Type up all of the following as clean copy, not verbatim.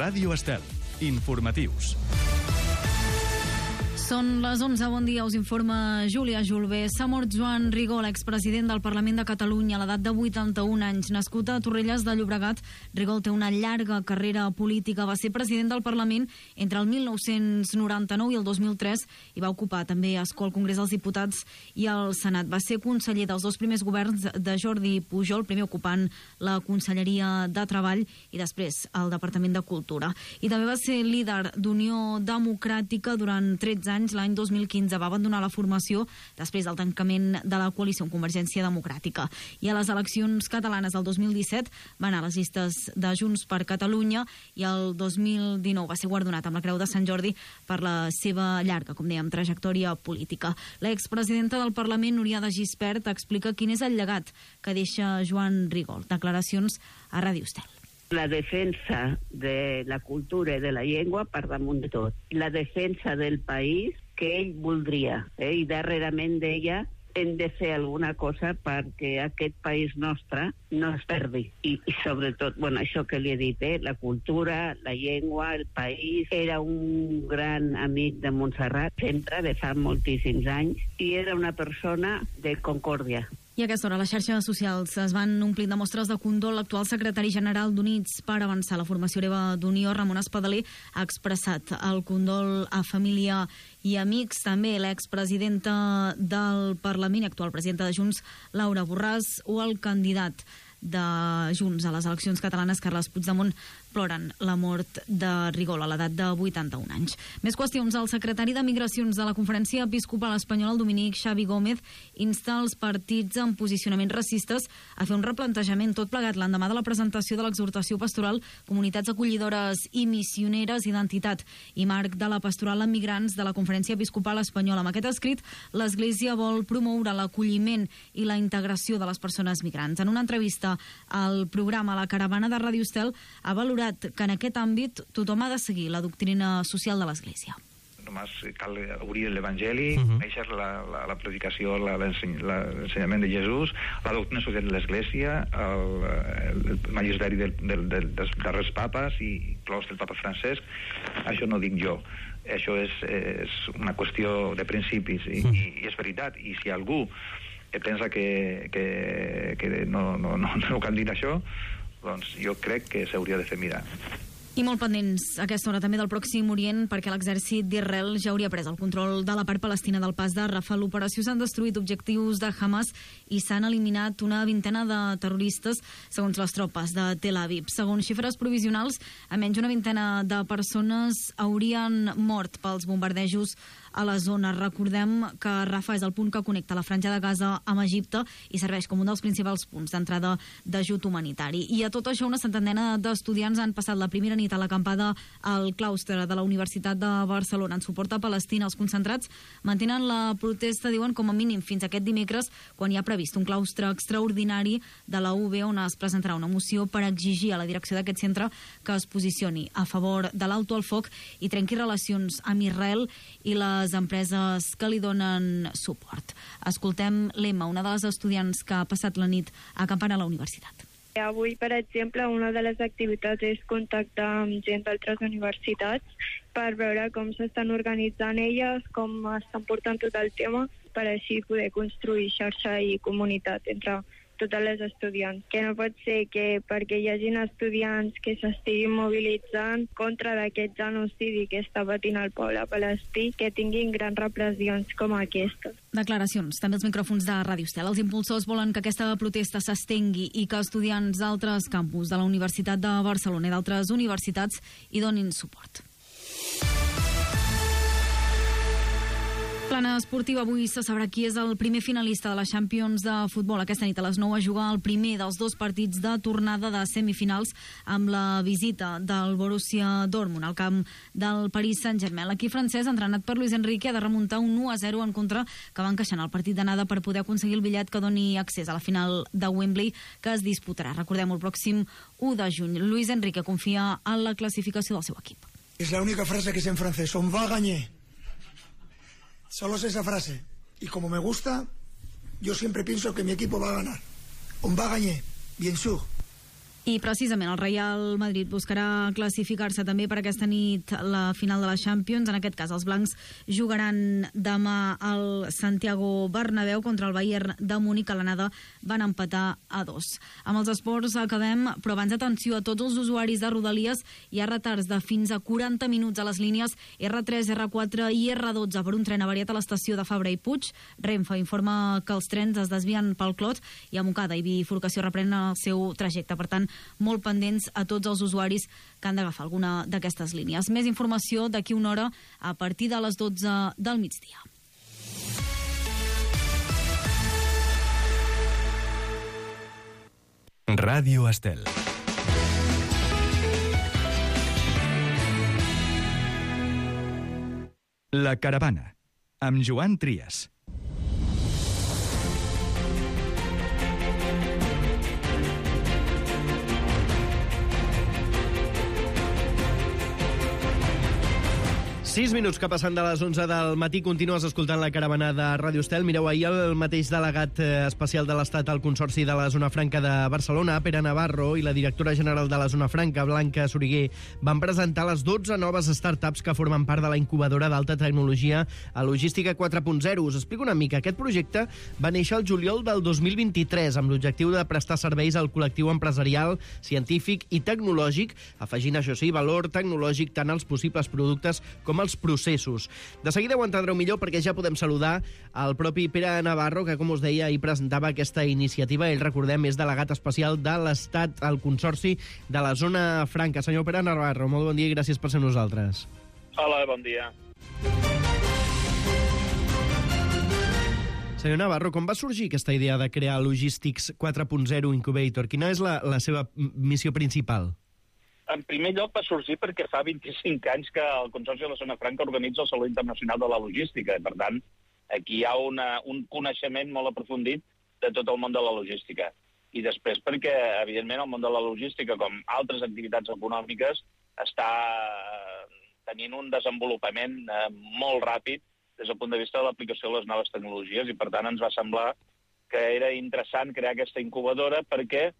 Ràdio Estel. Informatius. Són les 11, bon dia, us informa Júlia Julbé. S'ha mort Joan Rigol, expresident del Parlament de Catalunya, a l'edat de 81 anys. Nascut a Torrelles de Llobregat, Rigol té una llarga carrera política. Va ser president del Parlament entre el 1999 i el 2003 i va ocupar també escó al Congrés dels Diputats i al Senat. Va ser conseller dels dos primers governs de Jordi Pujol, primer ocupant la Conselleria de Treball i després el Departament de Cultura. I també va ser líder d'Unió Democràtica durant 13 anys. L'any 2015 va abandonar la formació després del tancament de la coalició amb Convergència Democràtica. I a les eleccions catalanes del 2017 va anar a les llistes de Junts per Catalunya i el 2019 va ser guardonat amb la Creu de Sant Jordi per la seva llarga, com dèiem, trajectòria política. L'expresidenta del Parlament, Núria de Gispert, explica quin és el llegat que deixa Joan Rigol. Declaracions a Ràdio Estel. La defensa de la cultura i de la llengua per damunt de tot. La defensa del país que ell voldria. I darrerament d'ella hem de fer alguna cosa perquè aquest país nostre no es perdi. I sobretot, això que li he dit, la cultura, la llengua, el país. Era un gran amic de Montserrat, sempre, de fa moltíssims anys, i era una persona de concòrdia. I a aquesta hora les xarxes socials es van omplint de mostres de condol. L'actual secretari general d'Units per Avançar, la formació hereva d'Unió, Ramon Espadaler, ha expressat el condol a família i amics. També l'expresidenta del Parlament i actual presidenta de Junts, Laura Borràs, o el candidat de Junts a les eleccions catalanes, Carles Puigdemont, ploren la mort de Rigol a l'edat de 81 anys. Més qüestions. El secretari de Migracions de la Conferència Episcopal Espanyola, el dominic Xavi Gómez, insta els partits amb posicionaments racistes a fer un replantejament, tot plegat l'endemà de la presentació de l'exhortació pastoral Comunitats acollidores i missioneres, identitat i marc de la pastoral amb migrants de la Conferència Episcopal Espanyola. Amb aquest escrit, l'Església vol promoure l'acolliment i la integració de les persones migrants. En una entrevista al programa La Caravana de Ràdio Estel, ha valorat que en aquest àmbit tothom ha de seguir la doctrina social de l'Església. Només cal obrir l'Evangeli, conèixer la predicació, l'ensenyament de Jesús, la doctrina social de l'Església, el magisteri dels darrers papes i inclòs del papa Francesc. Això no dic jo, això és una qüestió de principis i és veritat. I si algú pensa que no cal dir això, doncs jo crec que s'hauria de fer mirar. I molt pendents a aquesta hora també del Pròxim Orient, perquè l'exèrcit d'Israel ja hauria pres el control de la part palestina del pas de Rafah. L'operació s'han destruït objectius de Hamas i s'han eliminat una vintena de terroristes, segons les tropes de Tel Aviv. Segons xifres provisionals, almenys una vintena de persones haurien mort pels bombardejos a la zona. Recordem que Rafah és el punt que connecta la Franja de Gaza amb Egipte i serveix com un dels principals punts d'entrada d'ajut humanitari. I a tot això, una centenena d'estudiants han passat la primera nit a l'acampada al claustre de la Universitat de Barcelona en suport a Palestina. Els concentrats mantenen la protesta, diuen, com a mínim fins aquest dimecres, quan hi ha previst un claustre extraordinari de la UB, on es presentarà una moció per exigir a la direcció d'aquest centre que es posicioni a favor de l'alto al foc i trenqui relacions amb Israel i les empreses que li donen suport. Escoltem l'Emma, una de les estudiants que ha passat la nit acampant a la universitat. Avui, per exemple, una de les activitats és contactar amb gent d'altres universitats per veure com s'estan organitzant elles, com estan portant tot el tema, per així poder construir xarxa i comunitat entre totes les estudiants. Que no pot ser que perquè hi hagin estudiants que s'estiguin mobilitzant contra d'aquest genocidi que està patint el poble palestí, que tinguin grans repressions com aquestes. Declaracions, també els micròfons de Ràdio Estel. Els impulsors volen que aquesta protesta s'estengui i que estudiants d'altres campus de la Universitat de Barcelona i d'altres universitats hi donin suport. Plana esportiva, avui se sabrà qui és el primer finalista de la Champions de futbol. Aquesta nit a les 9 a jugar el primer dels dos partits de tornada de semifinals amb la visita del Borussia Dortmund al camp del Paris Saint-Germain. L'equip francès, entrenat per Luis Enrique, ha de remuntar un 1-0 en contra que va encaixant el partit d'anada per poder aconseguir el bitllet que doni accés a la final de Wembley que es disputarà, recordem, el pròxim 1 de juny. Luis Enrique confia en la classificació del seu equip. Es la única frase que sé en francés, on va gagner. Solo sé esa frase. Y como me gusta, yo siempre pienso que mi equipo va a ganar. On va gagner, bien sûr. I precisament el Real Madrid buscarà classificar-se també per aquesta nit la final de la Champions. En aquest cas, els blancs jugaran demà al Santiago Bernabéu contra el Bayern de Múnich, que a l'anada van empatar a 2. Amb els esports acabem, però abans atenció a tots els usuaris de Rodalies. Hi ha retards de fins a 40 minuts a les línies R3, R4 i R12 per un tren avariat a l'estació de Fabra i Puig. Renfe informa que els trens es desvien pel Clot i a Montcada i Bifurcació reprenen el seu trajecte. Per tant, molt pendents a tots els usuaris que han d'agafar alguna d'aquestes línies. Més informació d'aquí una hora a partir de les 12 del migdia. Ràdio Estel. La Caravana, amb Joan Trias. Sis minuts que passen de les 11 del matí. Continues escoltant la Caravana de Ràdio Estel. Mireu, ahir el mateix delegat especial de l'Estat al Consorci de la Zona Franca de Barcelona, Pere Navarro, i la directora general de la Zona Franca, Blanca Soriguer, van presentar les 12 noves startups que formen part de la incubadora d'alta tecnologia a Logística 4.0. Us explico una mica. Aquest projecte va néixer el juliol del 2023 amb l'objectiu de prestar serveis al col·lectiu empresarial, científic i tecnològic, afegint, això sí, valor tecnològic tant als possibles productes com els processos. De seguida ho entendreu millor perquè ja podem saludar el propi Pere Navarro, que, com us deia, hi presentava aquesta iniciativa. Ell, recordem, és delegat especial de l'Estat al Consorci de la Zona Franca. Senyor Pere Navarro, molt bon dia i gràcies per ser nosaltres. Hola, bon dia. Senyor Navarro, com va sorgir aquesta idea de crear Logistics 4.0 Incubator? Quina és la seva missió principal? En primer lloc va sorgir perquè fa 25 anys que el Consorci de la Zona Franca organitza el Saló Internacional de la Logística. Per tant, aquí hi ha un coneixement molt aprofundit de tot el món de la logística. I després perquè, evidentment, el món de la logística, com altres activitats econòmiques, està tenint un desenvolupament molt ràpid des del punt de vista de l'aplicació de les noves tecnologies, i per tant ens va semblar que era interessant crear aquesta incubadora perquè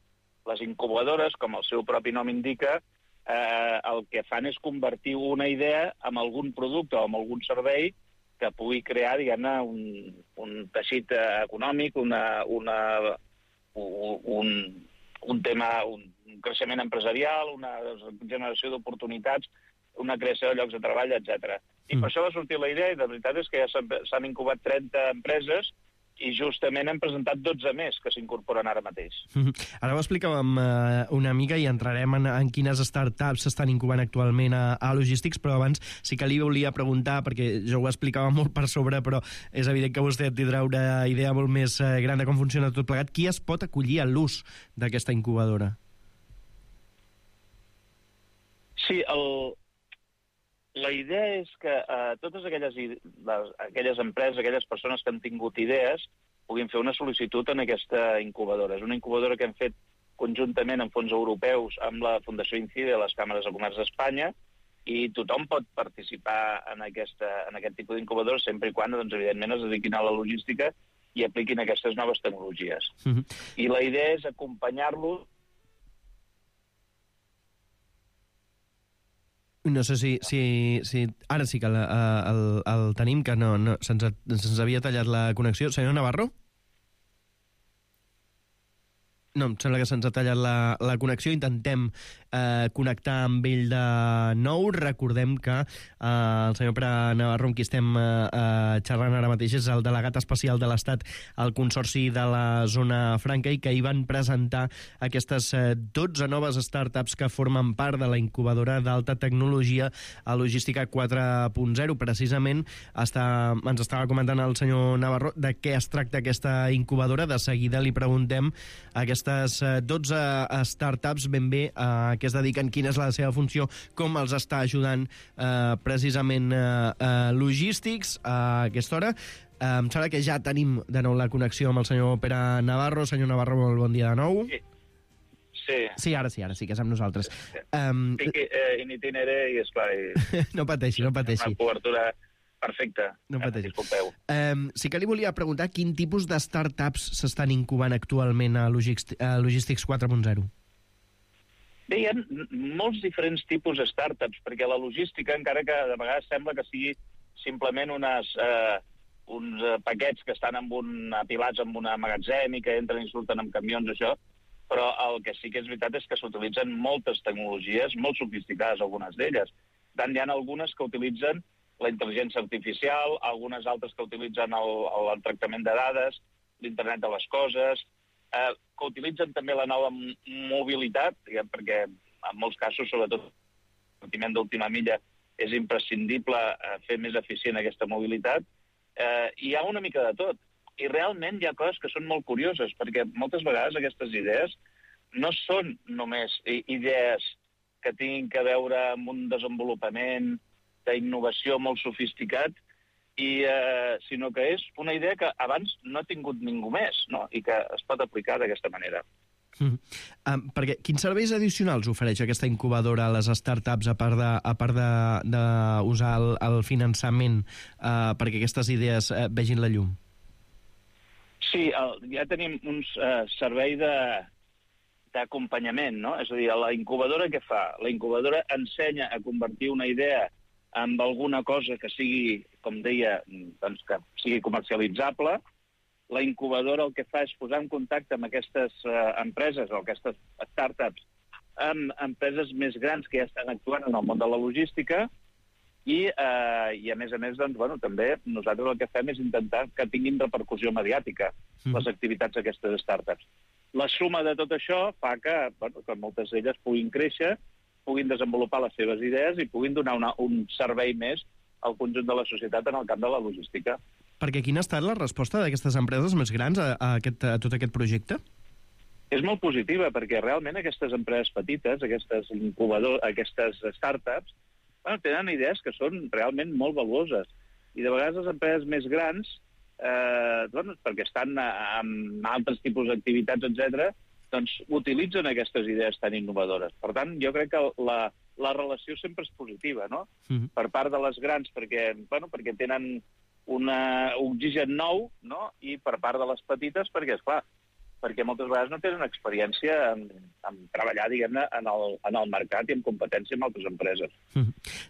les incubadores, com el seu propi nom indica, el que fan és convertir una idea en algun producte o en algun servei que pugui crear, diguem-ne, un teixit econòmic, un tema, un creixement empresarial, una generació d'oportunitats, una creació de llocs de treball, etc. I per això va sortir la idea, i la veritat és que ja s'han incubat 30 empreses i justament hem presentat 12 més que s'incorporen ara mateix. Ara ho explicàvem una mica i entrarem en quines startups s'estan incubant actualment a Logistics, però abans sí que li volia preguntar, perquè jo ho explicava molt per sobre, però és evident que vostè tindrà una idea molt més gran de com funciona tot plegat. Qui es pot acollir a l'ús d'aquesta incubadora? Sí, la idea és que totes aquelles empreses, aquelles persones que han tingut idees, puguin fer una sol·licitud en aquesta incubadora. És una incubadora que hem fet conjuntament amb fons europeus, amb la Fundació INCIDE, les Càmeres de Comerç d'Espanya, i tothom pot participar en aquest tipus d'incubadora sempre i quan, doncs, evidentment, es dediquin a la logística i apliquin aquestes noves tecnologies. I la idea és acompanyar-los. No sé si ara sí que el tenim, que no se'ns havia tallat la connexió. Senyor Navarro? No, em sembla que se'ns ha tallat la connexió. Intentem connectar amb ell de nou. Recordem que el senyor Pere Navarro, amb qui estem xerrant ara mateix, és el delegat especial de l'Estat al Consorci de la Zona Franca i que hi van presentar aquestes 12 noves startups que formen part de la incubadora d'alta tecnologia a Logística 4.0. Precisament ens estava comentant el senyor Navarro de què es tracta aquesta incubadora. De seguida li preguntem aquestes 12 startups ben bé a què es dediquen, quina és la seva funció, com els està ajudant precisament Logistics a aquesta hora. Em sembla que ja tenim de nou la connexió amb el senyor Pere Navarro. Senyor Navarro, molt bon dia de nou. Sí, ara sí que és amb nosaltres. Estic in itinere i, esclar... No pateixi. Una cobertura perfecte. No pateixi. Disculpeu. Sí que li volia preguntar quin tipus de startups s'estan incubant actualment a Logistics 4.0. Bé, hi ha molts diferents tipus de startups, perquè la logística, encara que de vegades sembla que sigui simplement uns paquets que estan apilats en un magatzem i que entren i surten amb camions, això, però el que sí que és veritat és que s'utilitzen moltes tecnologies, molt sofisticades, algunes d'elles. Tant hi ha algunes que utilitzen la intel·ligència artificial, algunes altres que utilitzen el tractament de dades, l'internet de les coses, que utilitzen també la nova mobilitat, perquè en molts casos, sobretot el partiment d'última milla, és imprescindible fer més eficient aquesta mobilitat. Hi ha una mica de tot. I realment hi ha coses que són molt curioses, perquè moltes vegades aquestes idees no són només idees que tinguin que veure amb un desenvolupament d'innovació molt sofisticat, sinó que és una idea que abans no ha tingut ningú més, no? I que es pot aplicar d'aquesta manera. Perquè quins serveis addicionals ofereix aquesta incubadora a les startups, a part d'usar el finançament perquè aquestes idees vegin la llum? Sí, ja tenim un servei d'acompanyament, no? És a dir, la incubadora què fa? La incubadora ensenya a convertir una idea en alguna cosa que sigui, com deia, doncs que sigui comercialitzable. La incubadora el que fa és posar en contacte amb aquestes empreses o aquestes startups amb empreses més grans que ja estan actuant en el món de la logística i a més, doncs, bueno, també nosaltres el que fem és intentar que tinguin repercussió mediàtica les activitats d'aquestes startups. La suma de tot això fa que moltes d'elles puguin créixer, puguin desenvolupar les seves idees i puguin donar un servei més al conjunt de la societat en el camp de la logística. Perquè quina ha estat la resposta d'aquestes empreses més grans a tot aquest projecte? És molt positiva, perquè realment aquestes empreses petites, aquestes startups, tenen idees que són realment molt valuoses. I de vegades les empreses més grans, perquè estan en altres tipus d'activitats, etc., doncs utilitzen aquestes idees tan innovadores. Per tant, jo crec que la relació sempre és positiva, no? Per part de les grans, perquè tenen un oxigen nou, no? I per part de les petites, perquè, esclar, perquè moltes vegades no tenen experiència en treballar, diguem-ne, en el mercat i en competència amb altres empreses.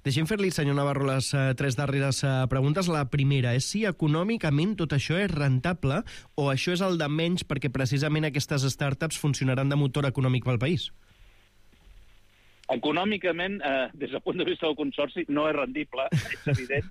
Deixem fer-li, senyor Navarro, les 3 darreres preguntes. La primera és si econòmicament tot això és rentable o això és el de menys perquè precisament aquestes startups funcionaran de motor econòmic pel país? Econòmicament, des del punt de vista del Consorci, no és rendible, és evident,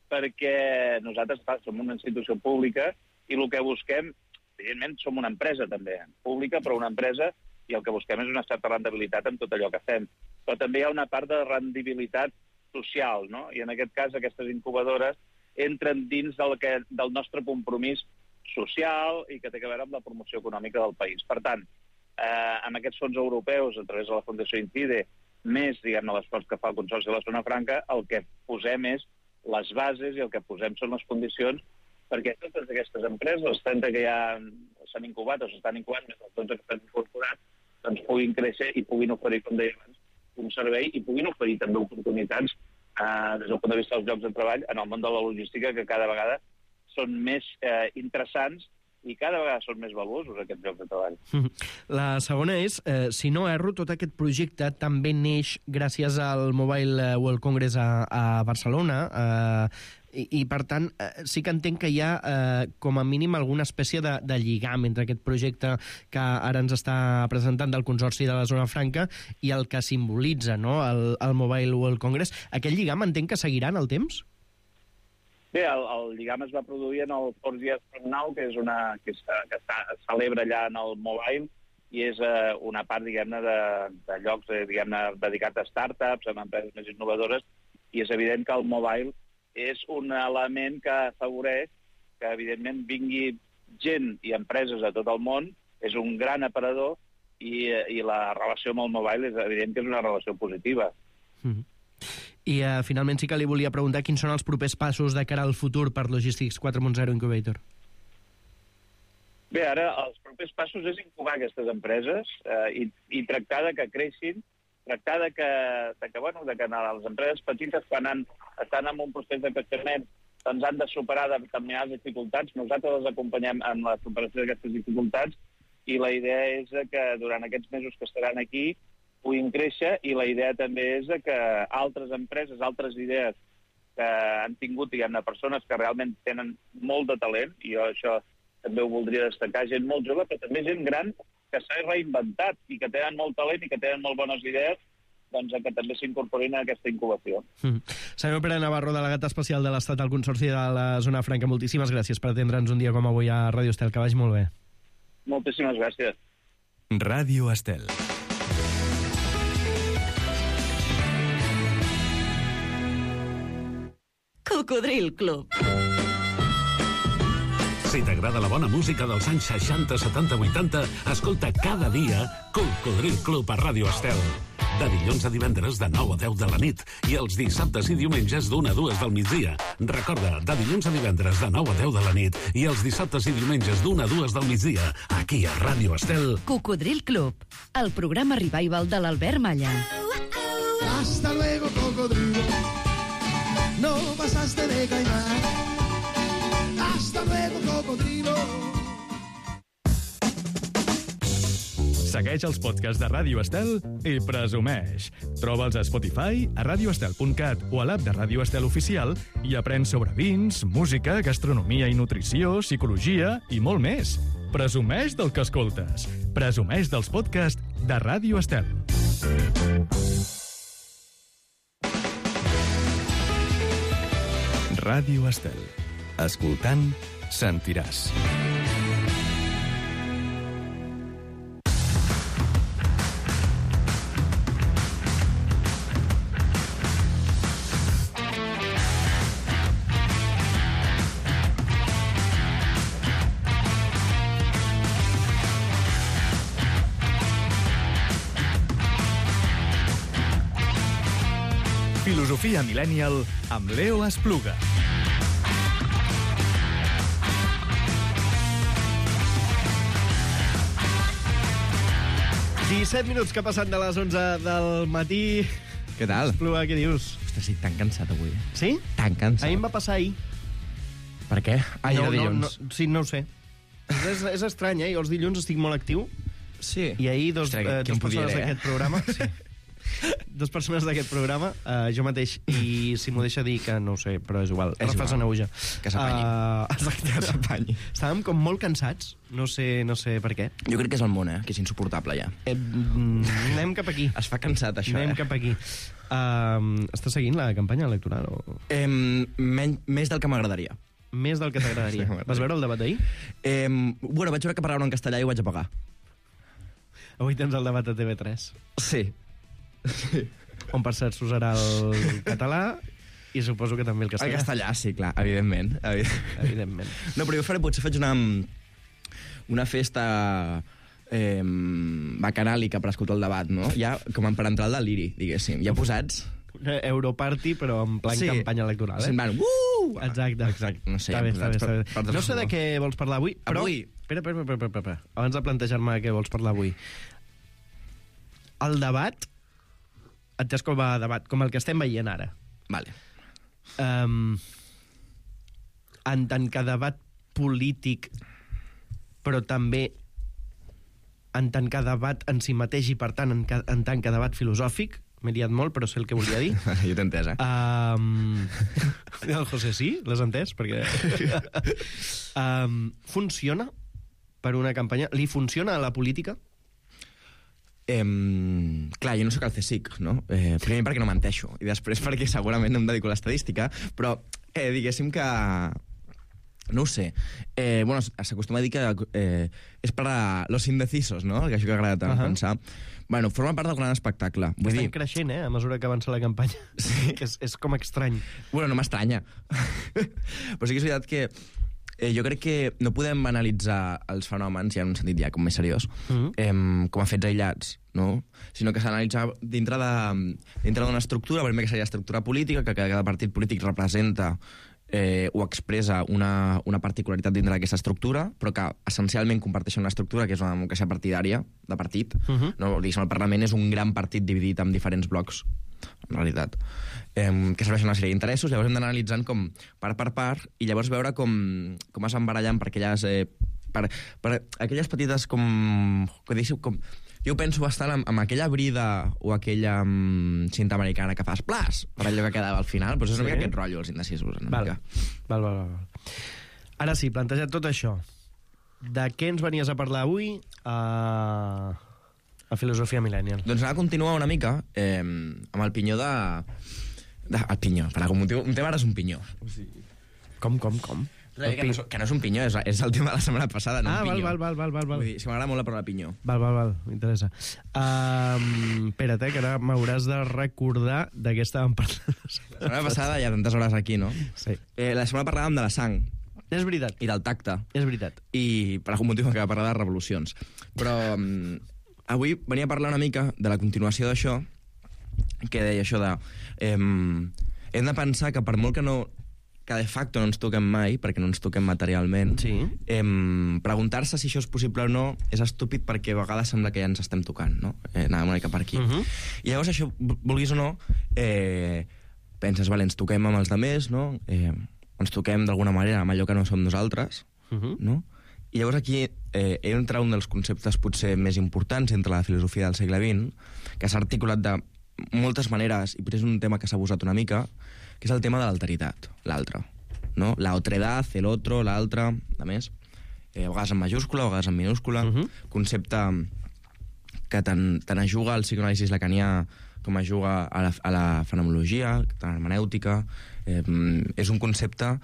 perquè nosaltres som una institució pública i el que busquem, evidentment, som una empresa també, pública, però una empresa, i el que busquem és una certa rendibilitat en tot allò que fem. Però també hi ha una part de rendibilitat social, no? I en aquest cas aquestes incubadores entren dins del nostre compromís social i que té a veure amb la promoció econòmica del país. Per tant, amb aquests fons europeus, a través de la Fundació Incide, més, diguem-ne, l'esforç que fa el Consorci de la Zona Franca, el que posem és les bases i el que posem són les condicions perquè totes aquestes empreses, les 30 que ja s'han incubat o s'estan incubant, més els 12 que estan incorporats, doncs puguin créixer i puguin oferir, com deia abans, un servei i puguin oferir també oportunitats des del punt de vista dels llocs de treball en el món de la logística, que cada vegada són més interessants i cada vegada són més valuosos aquests llocs de treball. La segona és, si no erro, tot aquest projecte també neix gràcies al Mobile World Congress a Barcelona, i per tant, sí que entenc que hi ha com a mínim alguna espècie de lligam entre aquest projecte que ara ens està presentant del Consorci de la Zona Franca i el que simbolitza, no?, el Mobile World Congress. Aquest lligam entenc que seguirà en el temps? Bé, el lligam es va produir en el 4G Now, que es celebra allà en el Mobile, i és una part, diguem-ne, de llocs dedicats a startups, a empreses més innovadores, i és evident que el Mobile és un element que afavoreix que, evidentment, vingui gent i empreses a tot el món, és un gran aparador i la relació amb el Mobile és evident que és una relació positiva. I finalment sí que li volia preguntar quins són els propers passos de cara al futur per Logistics 4.0 Incubator. Bé, ara els propers passos és incubar aquestes empreses i tractar de que creixin, tractar de que les empreses petites, quan estan en un procés de creixement, doncs han de superar determinades dificultats. Nosaltres les acompanyem en la superació d'aquestes dificultats i la idea és que durant aquests mesos que estaran aquí puguin créixer, i la idea també és que altres empreses, altres idees que han tingut, diguem-ne, persones que realment tenen molt de talent, i jo això també ho voldria destacar, gent molt jove, però també gent gran que s'ha reinventat i que tenen molt talent i que tenen molt bones idees, doncs que també s'incorporin a aquesta incubació. Senyor Pere Navarro, delegat especial de l'Estat al Consorci de la Zona Franca, moltíssimes gràcies per atendre'ns un dia com avui a Ràdio Estel. Que vagi molt bé. Moltíssimes gràcies. Ràdio Estel. Cocodril Club. Si t'agrada la bona música dels anys 60, 70, 80, escolta cada dia Cocodril Club a Ràdio Estel. De dilluns a divendres de 9 a 10 de la nit i els dissabtes i diumenges d'1 a 2 del migdia. Recorda, de dilluns a divendres de 9 a 10 de la nit i els dissabtes i diumenges d'1 a 2 del migdia, aquí a Ràdio Estel. Cocodril Club, el programa revival de l'Albert Malla. Hasta luego, cocodrilo. No pasaste de caimán. Hasta luego, cocodrilo. Segueix els podcasts de Ràdio Estel i presumeix. Troba'ls a Spotify, a radioestel.cat o a l'app de Ràdio Estel Oficial i aprèn sobre vins, música, gastronomia i nutrició, psicologia i molt més. Presumeix del que escoltes. Presumeix dels podcasts de Ràdio Estel. Ràdio Estel. Escoltant, sentiràs. Filosofia Millennial amb Leo Espluga. Disset minuts que passen de les 11 del matí. Què tal? Espluga, què dius? Ostres, sí, tan cansat avui. Sí? Tan cansat. Ahir em va passar ahir. Per què? Ahir era dilluns. Sí, no ho sé. És estrany, Jo els dilluns estic molt actiu. Sí. I ahir dos persones d'aquest programa... Sí. Dos persones d'aquest programa, jo mateix, i si m'ho deixa dir, que no ho sé, però és igual. Rafa Sanauja. Que s'apanyi. Exacte, que s'apanyi. Estàvem com molt cansats, no sé per què. Jo crec que és el món, que és insuportable, ja. Anem cap aquí. Es fa cansat, això, Anem cap aquí. Estàs seguint la campanya electoral? O... Més del que m'agradaria. Més del que t'agradaria. Vas veure el debat d'ahir? Bueno, vaig veure que parlaven en castellà i ho vaig apagar. Avui tens el debat a TV3. Sí. On, per cert, s'usarà el català i suposo que també el castellà. El castellà, sí, clar, evidentment. Evidentment. No, però jo potser faig una festa bacanàlica per escoltar el debat, no? Ja com per entrar al deliri, diguéssim. Ja posats... Europarty, però en plan campanya electoral, Se'n van... Exacte. No sé, està bé. No sé de què vols parlar avui, però... Avui? Espera. Abans de plantejar-me què vols parlar avui. El debat... Entès com a debat, com el que estem veient ara. Vale. En tant que debat polític, però també en tant que debat en si mateix i, per tant, en tant que debat filosòfic, m'he liat molt, però sé el que volia dir. Jo t'he entès, El José sí, l'has entès? Perquè... funciona per una campanya? Li funciona a la política? Clar, jo no sóc el CSIC, no? Primer perquè no menteixo, i després perquè segurament no em dedico a l'estadística, però diguéssim que... No ho sé. Bueno, s'acostuma a dir que és per a los indecisos, no? Que això que agrada tant pensar. Bueno, forma part del gran espectacle. Estem creixent, a mesura que avança la campanya. Sí. És com estrany. Bueno, no m'estranya. Però sí que és veritat que jo crec que no podem analitzar els fenòmens, ja en un sentit ja com més seriós, com a fets aïllats, no? Sinó que s'ha d'analitzar dintre d'una estructura, primer que seria estructura política, que cada partit polític representa o expressa una particularitat dintre d'aquesta estructura, però que essencialment comparteixen una estructura que és una democràcia partidària, de partit. No? Diguéssim, el Parlament és un gran partit dividit en diferents blocs, en realitat, que serveixen una sèrie d'interessos. Llavors hem d'anar analitzant com part per part i llavors veure com es embarallen per aquelles petites com Jo ho penso bastant amb aquella brida o aquella cinta americana que fas plas, per allò que quedava al final, però és una mica aquest rotllo, els indecisos. Val. Ara sí, plantejat tot això, de què ens venies a parlar avui a Filosofia Millennial? Doncs anava a continuar una mica amb el pinyó el pinyó, per algun motiu. Un tema ara és un pinyó. Com? Que no és un pinyó, és el tema de la setmana passada, no un pinyó. Val. Vull dir, si m'agrada molt la paraula pinyó. Val, m'interessa. Espera't, que ara m'hauràs de recordar de què estàvem parlant. La setmana passada hi ha tantes hores aquí, no? Sí. La setmana parlàvem de la sang. És veritat. I del tacte. És veritat. I per algun motiu m'acaba de parlar de revolucions. Però avui venia a parlar una mica de la continuació d'això, que deia això de... hem de pensar que per molt que de facto no ens toquem mai, perquè no ens toquem materialment, preguntar-se si això és possible o no és estúpid, perquè a vegades sembla que ja ens estem tocant, no? Anàvem una mica per aquí. I llavors això, vulguis o no, penses, vale, ens toquem amb els altres, no? Ens toquem d'alguna manera amb allò que no som nosaltres, no? I llavors aquí entra un dels conceptes potser més importants entre la filosofia del segle XX, que s'ha articulat de moltes maneres, i potser és un tema que s'ha abusat una mica, que és el tema de l'alteritat, l'altre, no? La otredad, el otro, l'altre, a més, a vegades en majúscula, a vegades en minúscula, concepte que tant ajuga al psicoanàlisi lacanià com ajuga a la fenomenologia, a l'hermenèutica. És un concepte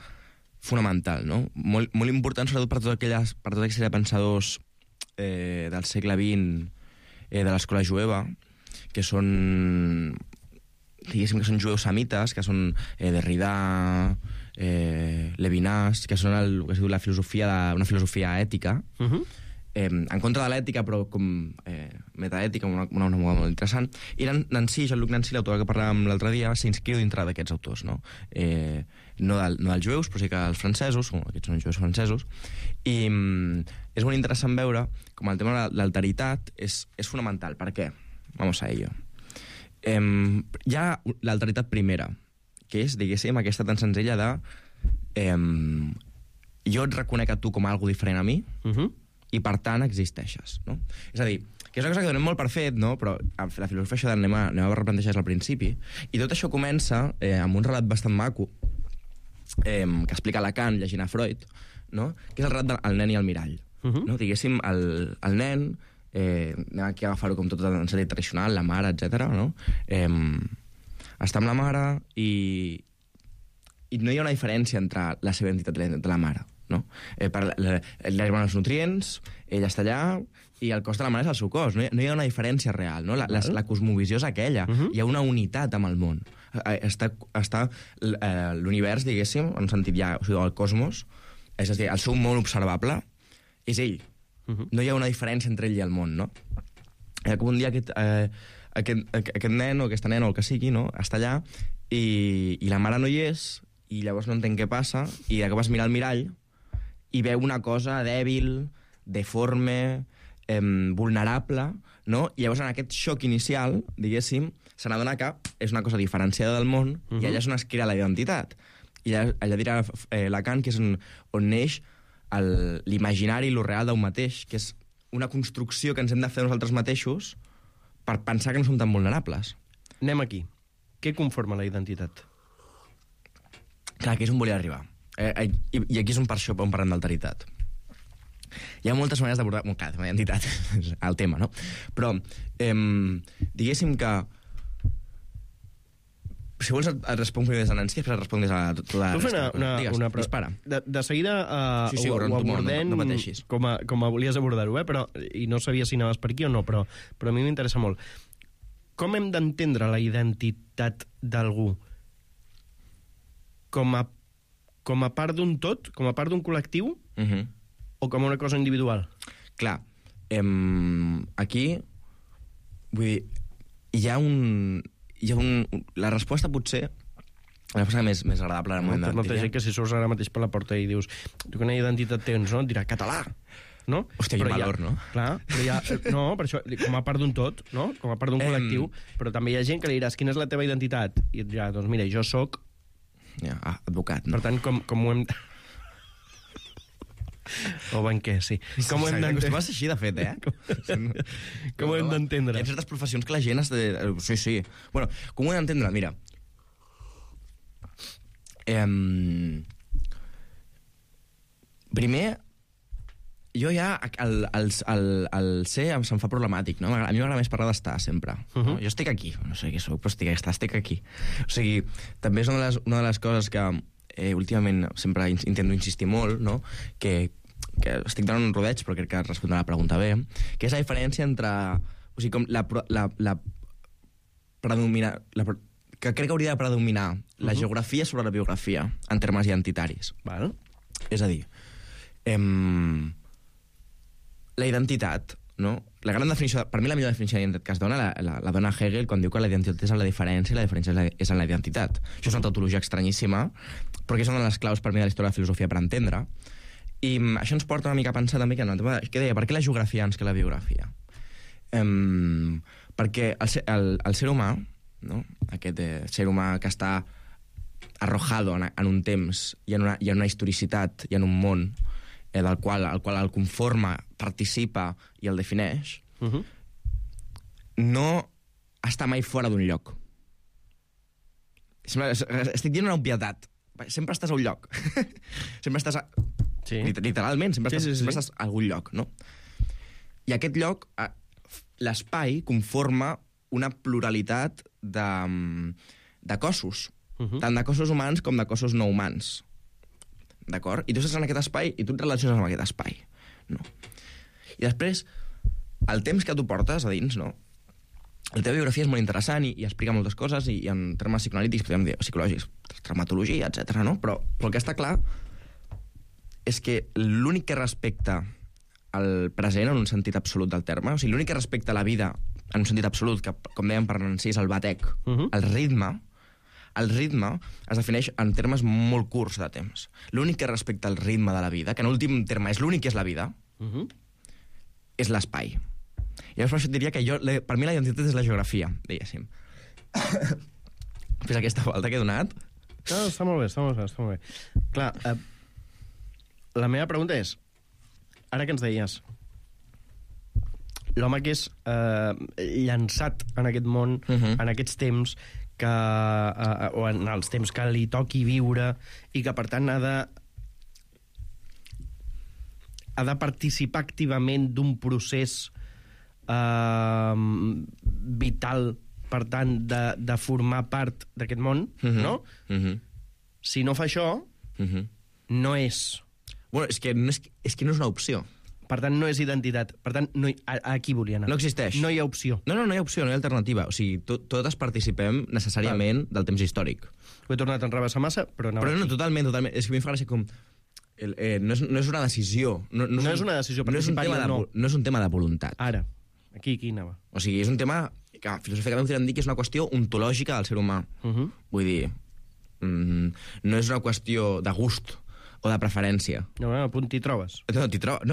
fonamental, no? Molt important, sobretot per tota aquella de pensadors del segle XX, de l'escola jueva, que són, diguéssim, que són jueus semites, que són Derrida, Levinas, que són el que es diu una filosofia ètica, en contra de l'ètica, però com metaètica, una moda molt interessant. I Nancy, Jean-Luc Nancy, l'autor que parlàvem l'altre dia, s'inscriu dintre d'aquests autors, no? No dels jueus, però sí que els francesos, aquests són jueus francesos, i és molt interessant veure com el tema de l'alteritat és fonamental. Per què? Vamos a ello. Hi ha l'alteritat primera, que és, diguéssim, aquesta tan senzilla de jo et reconec a tu com algo diferent a mi, i per tant existeixes, no? És a dir, que és una cosa que donem molt per fet, no? Però la filosofia això anem a replantejar al principi, i tot això comença amb un relat bastant maco que explica Lacan llegint a Freud, no? Que és el relat del nen i el mirall, no? Diguéssim, el nen, anem aquí a agafar-ho com tot en sentit tradicional, la mare, etc. No? Està amb la mare i no hi ha una diferència entre la seva entitat i de la mare, no? Li arriben els nutrients, ella està allà, i el cos de la mare és el seu cos. No hi ha una diferència real, no? La cosmovisió és aquella. Hi ha una unitat amb el món. Està l'univers, diguéssim, en un sentit ja, o sigui, el cosmos, és a dir, el seu món observable és ell. No hi ha una diferència entre ell i el món, no? Com un dia aquest nen o aquesta nena o el que sigui, no? Està allà i la mare no hi és, i llavors no entén què passa, i de cop es mira al mirall i veu una cosa dèbil, deforme, vulnerable, no? I llavors en aquest xoc inicial, diguéssim, se n'adona que és una cosa diferenciada del món, i allà és on es crea la identitat. I allà dirà Lacan que és on neix l'imaginari i lo real d'un mateix, que és una construcció que ens hem de fer nosaltres mateixos per pensar que no som tan vulnerables. Anem aquí. Què conforma la identitat? Clar, aquí és on volia arribar. I aquí és on per això on parlem d'alteritat. Hi ha moltes maneres d'abordar... Clar, la identitat és el tema, no? Però, diguéssim que si vols et responc primer des de Nancy, després et responc des de tota la resta. Digues, dispara. De seguida ho abordem com volies abordar-ho, però, i no sabia si anaves per aquí o no, però a mi m'interessa molt. Com hem d'entendre la identitat d'algú? Com a part d'un tot? Com a part d'un col·lectiu? O com una cosa individual? Clar, aquí, vull dir, hi ha la resposta potser, la resposta més agradable en el moment no té gent que si surts ara mateix per la porta i dius quina identitat tens, no? Et dirà català, no? Hòstia, quin valor, no? Clar, no, per això, com a part d'un tot, no? Com a part d'un col·lectiu, però també hi ha gent que li diràs quina és la teva identitat? I et dirà, doncs mira, jo soc... advocat, no? Per tant, com ho hem... O banquer, sí. Com ho hem d'entendre? Acostuma a ser així, de fet, Com ho hem d'entendre? Hi ha certes professions que la gent... Sí. Bueno, com ho hem d'entendre? Mira. Primer, jo ja, el ser se'm fa problemàtic, no? A mi m'agrada més parlar d'estar, sempre. No? Jo estic aquí, no sé què soc, però estic aquí. O sigui, també és una de les coses que últimament sempre intento insistir molt, no? Que estic donant un rodeig, però crec que respondrà la pregunta bé, que és la diferència entre... O sigui, com la que crec que hauria de predominar la geografia sobre la biografia, en termes identitaris. Val. És a dir, la identitat, no? La gran definició, per mi la millor definició d'identitat que es dona la dona Hegel quan diu que la identitat és en la diferència i la diferència és en la identitat. Això és una tautologia estranyíssima, però que és una de les claus per mi de la història de la filosofia per entendre. I això ens porta una mica a pensar també que deia, per què la geografia abans que la biografia? Perquè el ser humà, no? Aquest ser humà que està arrojado en un temps i en una historicitat i en un món del qual el conforma, participa i el defineix, no està mai fora d'un lloc. Estic dient una obvietat. Sempre estàs a un lloc. Sempre estàs literalment, sempre estàs a algun lloc, no? I aquest lloc, l'espai, conforma una pluralitat de cossos, tant de cossos humans com de cossos no humans. D'acord? I tu estàs en aquest espai i tu et relaciones amb aquest espai. No? I després, el temps que tu portes a dins, no? La teva biografia és molt interessant i explica moltes coses i en termes psicoanalítics, podríem dir, psicològics, traumatologia, etc. No? Però el que està clar és que l'únic que respecta el present en un sentit absolut del terme, o sigui, l'únic que respecta la vida en un sentit absolut, que, com dèiem per Nancy, és el batec, el ritme es defineix en termes molt curts de temps. L'únic que respecta el ritme de la vida, que en últim terme és l'únic que és la vida, és l'espai. I llavors per això et diria que per mi la identitat és la geografia, diguéssim. Fes aquesta volta que he donat. No, està molt bé. Clar, la meva pregunta és, ara que ens deies, l'home que és llançat en aquest món, en aquests temps, o en els temps que li toqui viure, i que per tant ha de participar activament d'un procés vital, per tant, de formar part d'aquest món, no? Si no fa això, no és... Bueno, és que no és una opció. Per tant, no és identitat. Per tant, aquí volia anar. No existeix. No hi ha opció. No hi ha opció, no hi ha alternativa. O sigui, totes participem necessàriament del temps històric. Ho he tornat a enrevessar massa, però no, totalment. És que a mi em fa gràcia com... No és una decisió. No és una decisió, participar-hi o no. No és un tema de voluntat. Ara, aquí anava. O sigui, és un tema que filosòficament podríem dir que és una qüestió ontològica del ser humà. Vull dir, no és una qüestió de gust o de preferència. No, a punt t'hi trobes. No,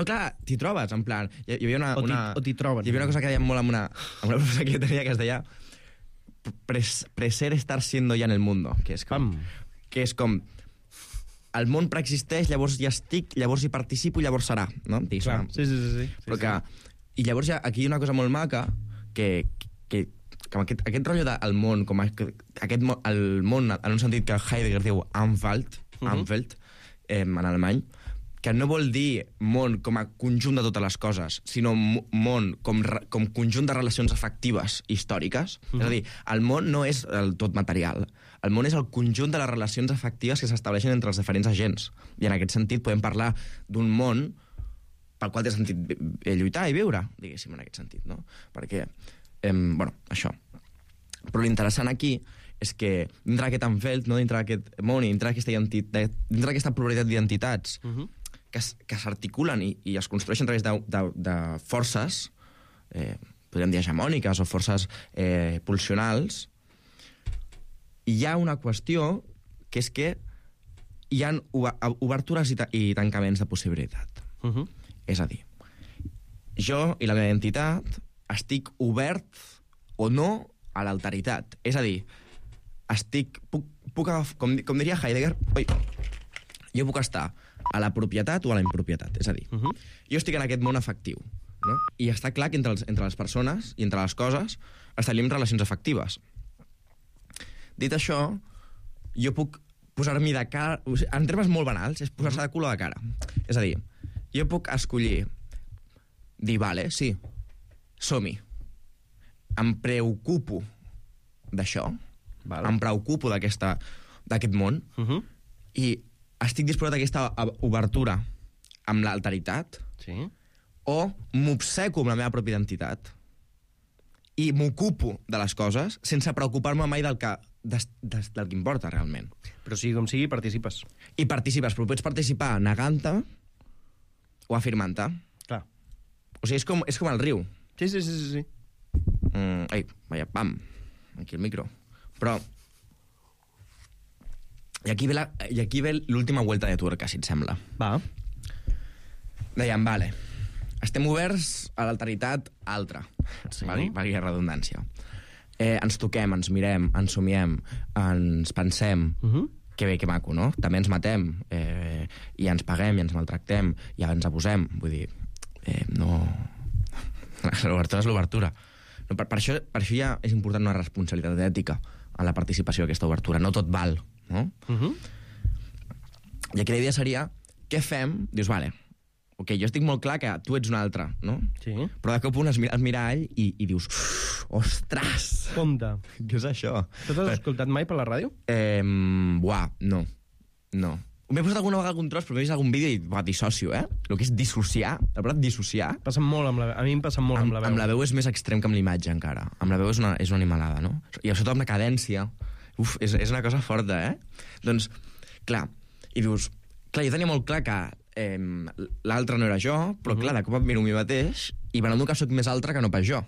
clar, t'hi trobes, en plan... Hi havia o t'hi troben. Hi havia una cosa que deia molt amb una professora que tenia que es deia preser estar siendo ya en el mundo, que és com el món preexisteix, llavors hi estic, llavors hi participo i llavors serà, no? Clar, sí. Però que... I llavors aquí hi ha una cosa molt maca que aquest rotllo del món, com el món en un sentit que Heidegger diu Umwelt, en alemany, que no vol dir món com a conjunt de totes les coses, sinó món com conjunt de relacions afectives històriques. És a dir, el món no és el tot material. El món és el conjunt de les relacions afectives que s'estableixen entre els diferents agents. I en aquest sentit podem parlar d'un món pel qual té sentit lluitar i viure, diguéssim, en aquest sentit, no? Perquè, això. Però l'interessant aquí és que dintre d'aquest Umwelt, no, dintre d'aquest món i dintre d'aquesta pluralitat d'identitats que s'articulen i es construeixen a través de forces, podríem dir hegemòniques o forces pulsionals, hi ha una qüestió que és que hi ha obertures i tancaments de possibilitat. És a dir, jo i la meva identitat estic obert o no a l'alteritat. És a dir, com diria Heidegger, jo puc estar a la propietat o a la impropietat. És a dir, jo estic en aquest món afectiu, no? I està clar que entre les persones i entre les coses establim relacions afectives. Dit això, jo puc posar-m'hi de cara... En termes molt banals, és posar-se de cul a de cara. És a dir, jo puc escollir dir, vale, sí, som-hi. Em preocupo d'això, em preocupo d'aquest món, i estic disposat a aquesta obertura amb l'alteritat, o m'obseco amb la meva pròpia identitat i m'ocupo de les coses sense preocupar-me mai del que importa realment. Però sigui com sigui, participes. I participes, però pots participar negant-te o afirmant-te. Clar. O sigui, és com el riu. Sí. Ai, vaja, pam, aquí el micro. Però... I aquí ve l'última vuelta de tuerca, si et sembla. Va. Dèiem, vale, estem oberts a l'alteritat altra, valgui la redundància. Ens toquem, ens mirem, ens somiem, ens pensem, que bé, que maco, no? També ens matem, i ens paguem, i ens maltractem, i ens abusem. Vull dir, no... L'obertura és l'obertura. No, per això ja és important una responsabilitat ètica en la participació d'aquesta obertura. No tot val, no? I aquí la idea seria, què fem? Dius, vale, ok, jo estic molt clar que tu ets un altre, no? Sí. Però de cop un es mira al mirall i dius, ostres! Compte. Què és això? Tu t'has escoltat mai per la ràdio? No. M'he posat alguna vegada algun tros, però m'he vist algun vídeo i dissocio, El que és dissociar, la paraula dissociar... Passa molt amb la veu. A mi em passa molt amb la veu. Amb la veu és més extrem que amb l'imatge, encara. Amb la veu és una animalada, no? I sobretot amb la cadència. És una cosa forta, Doncs, clar, i dius... Clar, jo tenia molt clar que l'altre no era jo, però clar, de cop em miro a mi mateix i m'adono que sóc més altre que no pas jo.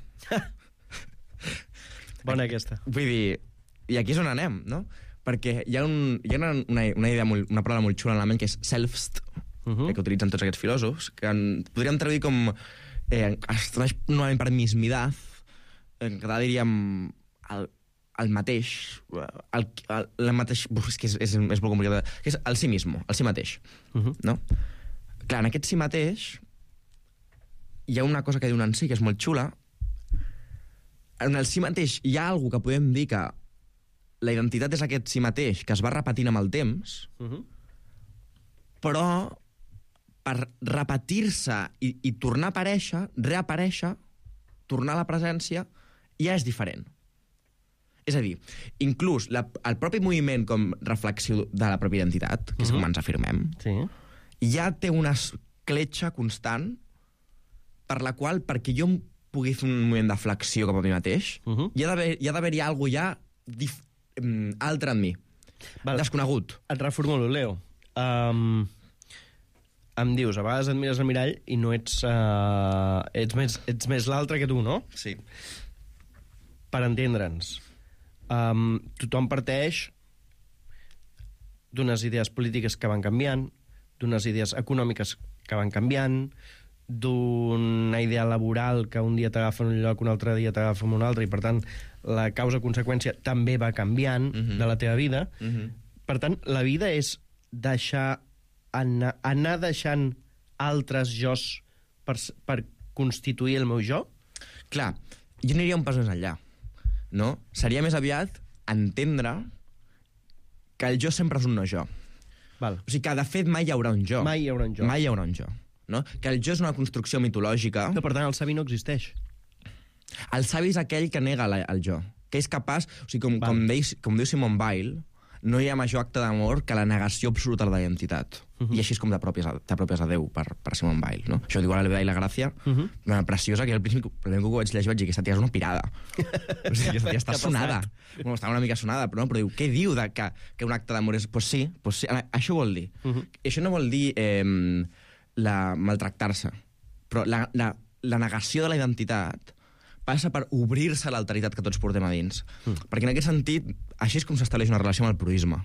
Bona aquesta. Vull dir, i aquí és on anem, no? Perquè hi ha una idea, una paraula molt xula en la ment, que és selfst, que utilitzen tots aquests filòsofs, que podríem traduir com... es tradueix normalment per mismidad, en català diríem el mateix, el mateix... És que és molt complicat. Que és el sí mismo, el sí mateix. No? Clar, en aquest sí mateix hi ha una cosa que diuen en sí, que és molt xula. En el sí mateix hi ha alguna que podem dir que la identitat és aquest sí mateix, que es va repetint amb el temps, però per repetir-se i tornar a aparèixer, reaparèixer, tornar a la presència, ja és diferent. És a dir, inclús el propi moviment com reflexió de la pròpia identitat, que és com ens afirmem, ja té una escletxa constant per la qual, perquè jo pugui fer un moviment de flexió cap a mi mateix, hi ha d'haver-hi alguna cosa altre en mi, desconegut. Et reformulo, Leo. Em dius, a vegades et mires al mirall i no ets més l'altre que tu, no? Sí. Per entendre'ns, tothom parteix d'unes idees polítiques que van canviant, d'unes idees econòmiques que van canviant, d'una idea laboral que un dia t'agafa en un lloc, un altre dia t'agafa en un altre, i per tant la causa-conseqüència també va canviant de la teva vida. Per tant, la vida és deixar anar deixant altres jos per constituir el meu jo? Clar, jo aniria un pas més enllà, no? Seria més aviat entendre que el jo sempre és un no jo. Val. O sigui que, de fet, mai hi haurà un jo. Mai hi haurà un jo. Mai hi haurà un jo. No? Que el jo és una construcció mitològica. Que, per tant, el savi no existeix. El savi és aquell que nega el jo, que és capaç... O sigui, com diu Simone Weil, no hi ha major acte d'amor que la negació absoluta de la identitat. I així és com t'apropies a Déu per Simone Weil, no? Això diu a la Levedà i la Gràcia, una preciosa, que al principi, el primer que ho vaig llegir, vaig dir que aquesta tia és una pirada. O sigui, aquesta tia està sonada. Bueno, estava una mica sonada, però diu, què diu que un acte d'amor és... Pues sí, això vol dir. Això no vol dir maltractar-se, però la negació de la identitat passa per obrir-se a l'alteritat que tots portem a dins. Perquè en aquest sentit, així és com s'estableix una relació amb el proisme.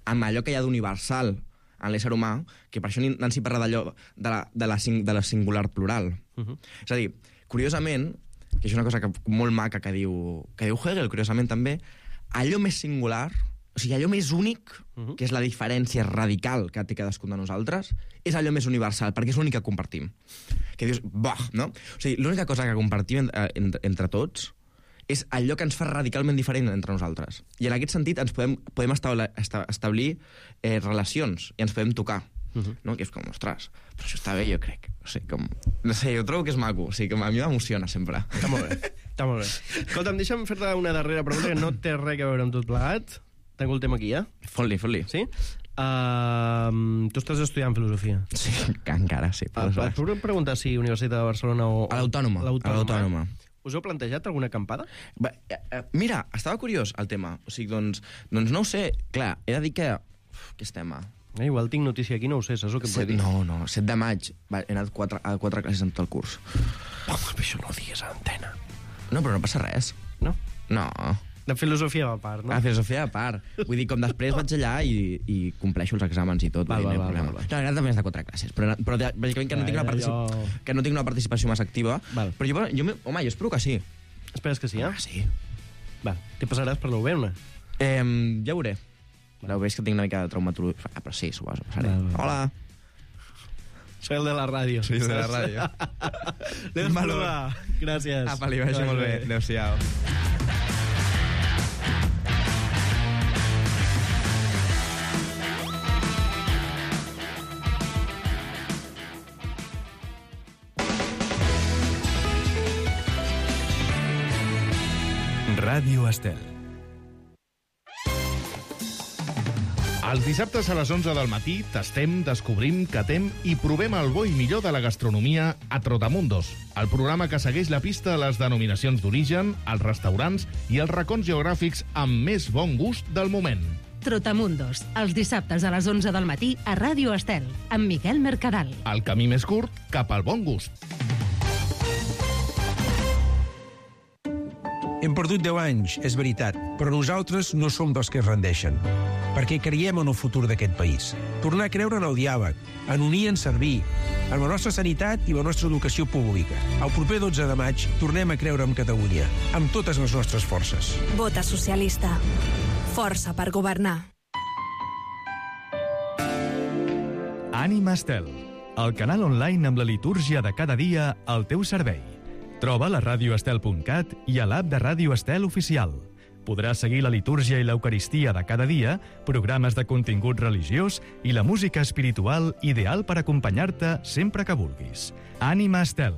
Amb allò que hi ha d'universal en l'ésser humà, que per això Nancy parla d'allò de la singular plural. És a dir, curiosament, que és una cosa molt maca que diu Hegel, curiosament també, allò més singular, o O sigui, allò més únic, que és la diferència radical que té cadascun de nosaltres, és allò més universal, perquè és l'únic que compartim. Que dius, no? O sigui, l'única cosa que compartim entre tots és allò que ens fa radicalment diferent entre nosaltres. I en aquest sentit ens podem establir relacions i ens podem tocar. No? Que és com, ostres, però això està bé, jo crec. O sigui, com, no sé, jo trobo que és maco. O sigui, com a mi m'emociona sempre. Està molt bé. Està molt bé. Escolta'm, deixa'm fer-te una darrera pregunta que no té res a veure amb tot plegat. Tanco el tema aquí, ja? Fot-li. Sí? Tu estàs estudiant filosofia. Sí, encara, sí. Et puc preguntar si Universitat de Barcelona o... A l'Autònoma. Us heu plantejat alguna acampada? Mira, estava curiós el tema. O sigui, doncs no ho sé. Clar, he de dir que... Què estem a... Igual tinc notícia aquí, no ho sé, saps el que em pot dir? No, 7 de maig. He anat a 4 classes en tot el curs. Home, això no ho digues a l'antena. No, però no passa res. No? No. De filosofia a part, no? De filosofia a part. Vull dir, com després vaig allà i compleixo els exàmens i tot. Val. No, també és de 4 classes, però bàsicament que no tinc una participació massa activa. Val. Però jo espero que sí. Esperes que sí, eh? Sí. Val. Què passaràs per la UB? Ja ho veuré. La UB és que tinc una mica de traumatologia. Però sí, s'ho passaré. Hola. Soy el de la ràdio. Sí, de la ràdio. Anem a provar. Gràcies. Apa, li vagi molt bé. Adéu-siau. Ràdio Estel. Els dissabtes a les 11 del matí tastem, descobrim, catem i provem el bo i millor de la gastronomia a Trotamundos, el programa que segueix la pista a les denominacions d'origen, els restaurants i els racons geogràfics amb més bon gust del moment. Trotamundos, els dissabtes a les 11 del matí a Ràdio Estel, amb Miquel Mercadal. El camí més curt cap al bon gust. Hem perdut 10 anys, és veritat, però nosaltres no som dels que es rendeixen, perquè creiem en el futur d'aquest país. Tornar a creure en el diàleg, en unir i en servir, en la nostra sanitat i la nostra educació pública. El proper 12 de maig tornem a creure en Catalunya, amb totes les nostres forces. Vota socialista. Força per governar. Ànima Estel, el canal online amb la litúrgia de cada dia al teu servei. Troba la radioestel.cat i a l'app de Ràdio Estel Oficial. Podràs seguir la litúrgia i l'eucaristia de cada dia, programes de contingut religiós i la música espiritual ideal per acompanyar-te sempre que vulguis. Ànima Estel,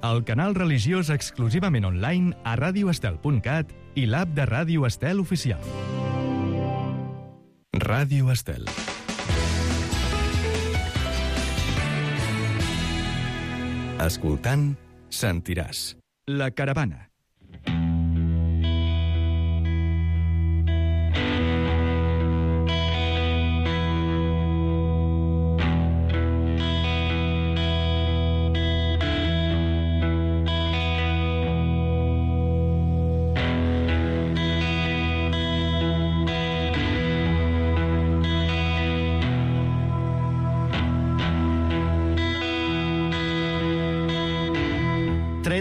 el canal religiós exclusivament online a radioestel.cat i l'app de Ràdio Estel Oficial. Ràdio Estel. Escoltant, sentiràs. La caravana.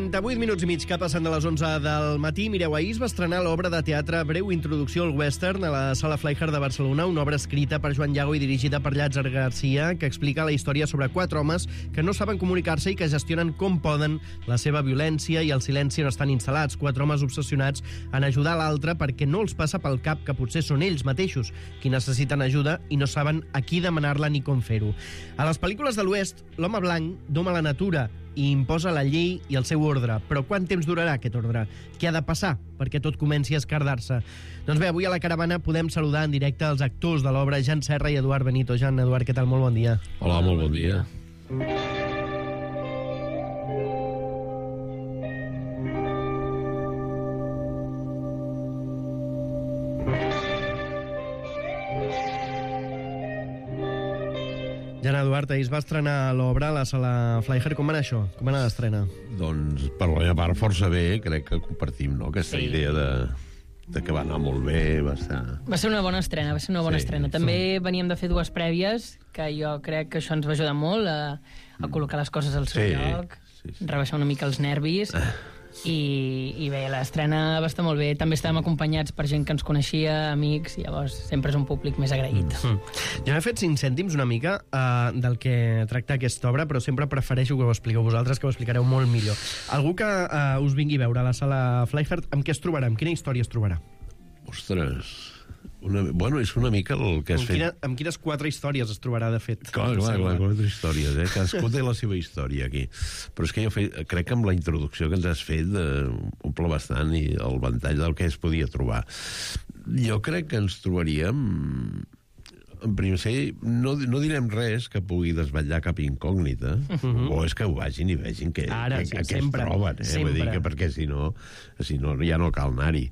De 8 minuts i mig que passen de les 11 del matí. Mireu, ahir es va estrenar l'obra de teatre Breu introducció al western a la Sala Fleischer de Barcelona, una obra escrita per Joan Llago i dirigida per Llàtzer Garcia, que explica la història sobre 4 homes que no saben comunicar-se i que gestionen com poden la seva violència i el silenci on estan instal·lats. 4 homes obsessionats en ajudar l'altre perquè no els passa pel cap que potser són ells mateixos qui necessiten ajuda i no saben a qui demanar-la ni com fer-ho. A les pel·lícules de l'Oest, l'home blanc doma la natura i imposa la llei i el seu ordre. Però quant temps durarà aquest ordre? Què ha de passar perquè tot comenci a escardar-se? Doncs bé, avui a la caravana podem saludar en directe els actors de l'obra, Jan Serra i Eduard Benito. Jan, Eduard, què tal? Molt bon dia. Hola, molt bon dia. Jan, Eduard, ahir es va estrenar l'obra a la Sala Fleischer. Com va anar això? Com va anar l'estrena? Doncs, per la meva part, força bé. Crec que compartim, no?, aquesta idea de que va anar molt bé, va estar... Va ser una bona estrena, estrena. També veníem de fer 2 prèvies, que jo crec que això ens va ajudar molt a col·locar les coses al seu lloc, rebaixar una mica els nervis. I bé, l'estrena va estar molt bé. També estàvem acompanyats per gent que ens coneixia, amics, i llavors sempre és un públic més agraït. Jo m'he fet 5 cèntims una mica del que tracta aquesta obra, però sempre prefereixo que ho expliqueu vosaltres, que ho explicareu molt millor. Algú que us vingui a veure a la sala Flyhard, amb què es trobarà? Amb quina història es trobarà? Ostres... Bueno, és una mica el que has fet... Amb quines 4 històries es trobarà, de fet? Clar, 4 històries, eh? Cadascú té la seva història aquí. Però és que jo crec que amb la introducció que ens has fet omple bastant i el ventall del que es podia trobar. Jo crec que ens trobaríem... En primer no direm res que pugui desvetllar cap incògnita, o és que ho vagin i vegin que es troben, vull dir que perquè si no ja no cal anar-hi.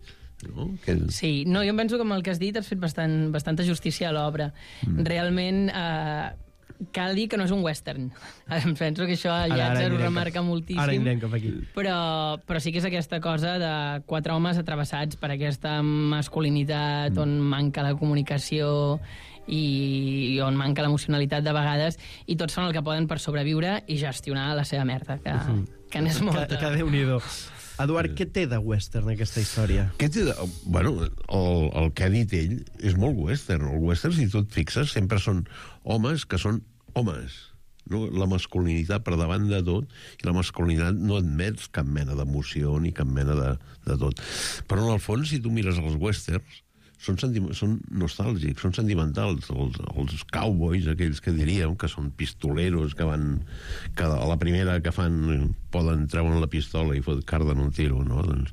No? Sí, no, jo em penso que amb el que has dit has fet bastanta justícia a l'obra. Realment cal dir que no és un western. Em penso que això Llàtzer ho remarca moltíssim. Ara anirem cap aquí. Però sí que és aquesta cosa de 4 homes atravessats per aquesta masculinitat on manca la comunicació i on manca l'emocionalitat de vegades, i tots fan el que poden per sobreviure i gestionar la seva merda, que n'és molta. Que Déu-n'hi-do. Eduard, què té de western aquesta història? Bueno, el que ha dit ell és molt western. El western, si tu et fixes, sempre són homes que són homes. No? La masculinitat per davant de tot, i la masculinitat no admets cap mena d'emoció ni cap mena de tot. Però en el fons, si tu mires els westerns, són nostàlgics, són sentimentals. Els cowboys, aquells que diríem, que són pistoleros, que a la primera que fan poden treure la pistola i carden un tiro, no? Doncs,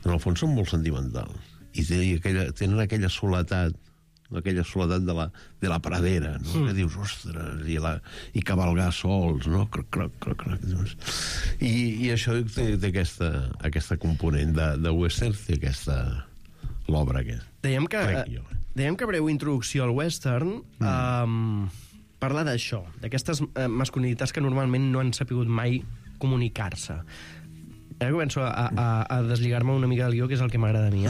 en el fons són molt sentimentals. I tenen aquella soledat de la pradera, no? Que dius, ostres, i cavalgar sols, no? I això té aquesta component de western, té l'obra aquesta. Dèiem que breu introducció al western parla d'això, d'aquestes masculinitats que normalment no han sapigut mai comunicar-se. Ara començo a deslligar-me una mica del guió, que és el que m'agrada a mi.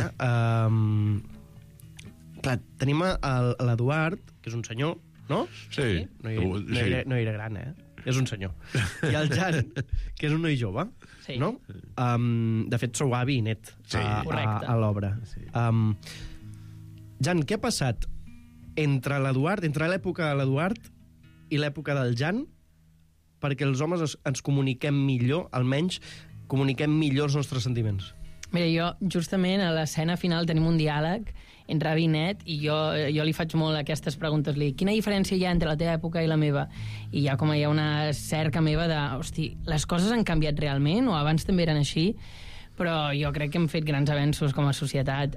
Clar, tenim l'Eduard, que és un senyor, no? Sí. No era gran, És un senyor. I el Jan, que és un noi jove, no? De fet, sou avi i net a l'obra. Jan, què ha passat entre l'època de l'Eduard i l'època del Jan perquè els homes ens comuniquem millor, almenys comuniquem millor els nostres sentiments? Mira, jo justament a l'escena final tenim un diàleg entre avi i net, i jo li faig molt aquestes preguntes. Quina diferència hi ha entre la teva època i la meva? I hi ha una cerca meva de, hosti, les coses han canviat realment, o abans també eren així? Però jo crec que hem fet grans avenços com a societat.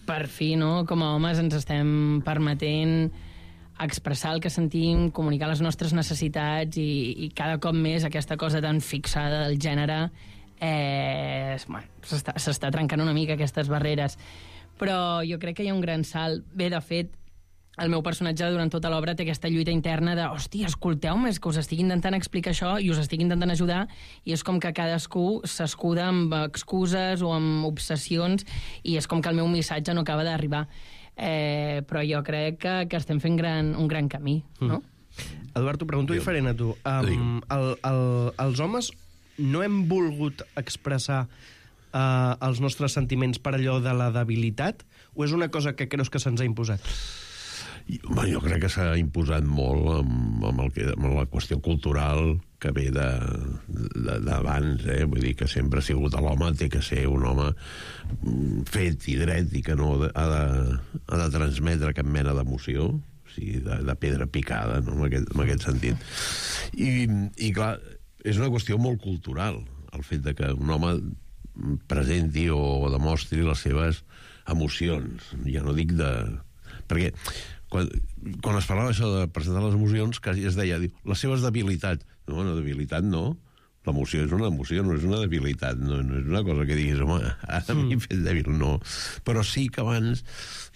Per fi, no? Com a homes ens estem permetent expressar el que sentim, comunicar les nostres necessitats, i cada cop més aquesta cosa tan fixada del gènere s'està trencant una mica aquestes barreres. Però jo crec que hi ha un gran salt. Bé, de fet, el meu personatge durant tota l'obra té aquesta lluita interna de, hòstia, escolteu-me, és que us estic intentant explicar això i us estic intentant ajudar, i és com que cadascú s'escuda amb excuses o amb obsessions, i és com que el meu missatge no acaba d'arribar. Però jo crec que estem fent un gran camí, no? Eduard, t'ho pregunto diferent a tu. Els homes no hem volgut expressar els nostres sentiments per allò de la debilitat, o és una cosa que creus que se'ns ha imposat? Jo crec que s'ha imposat molt amb la qüestió cultural que ve d'abans, vull dir que sempre ha sigut l'home, té que ser un home fet i dret i que no ha de transmetre cap mena d'emoció, o sigui, de pedra picada, no? en aquest sentit. I clar, és una qüestió molt cultural, el fet de que un home presenti o demostri les seves emocions. Ja no dic de... Perquè quan es parlava això de presentar les emocions, quasi es deia, les seves debilitats. No, una debilitat no. L'emoció és una emoció, no és una debilitat. No és una cosa que diguis, home, ara m'he fet dèbil, no. Però sí que abans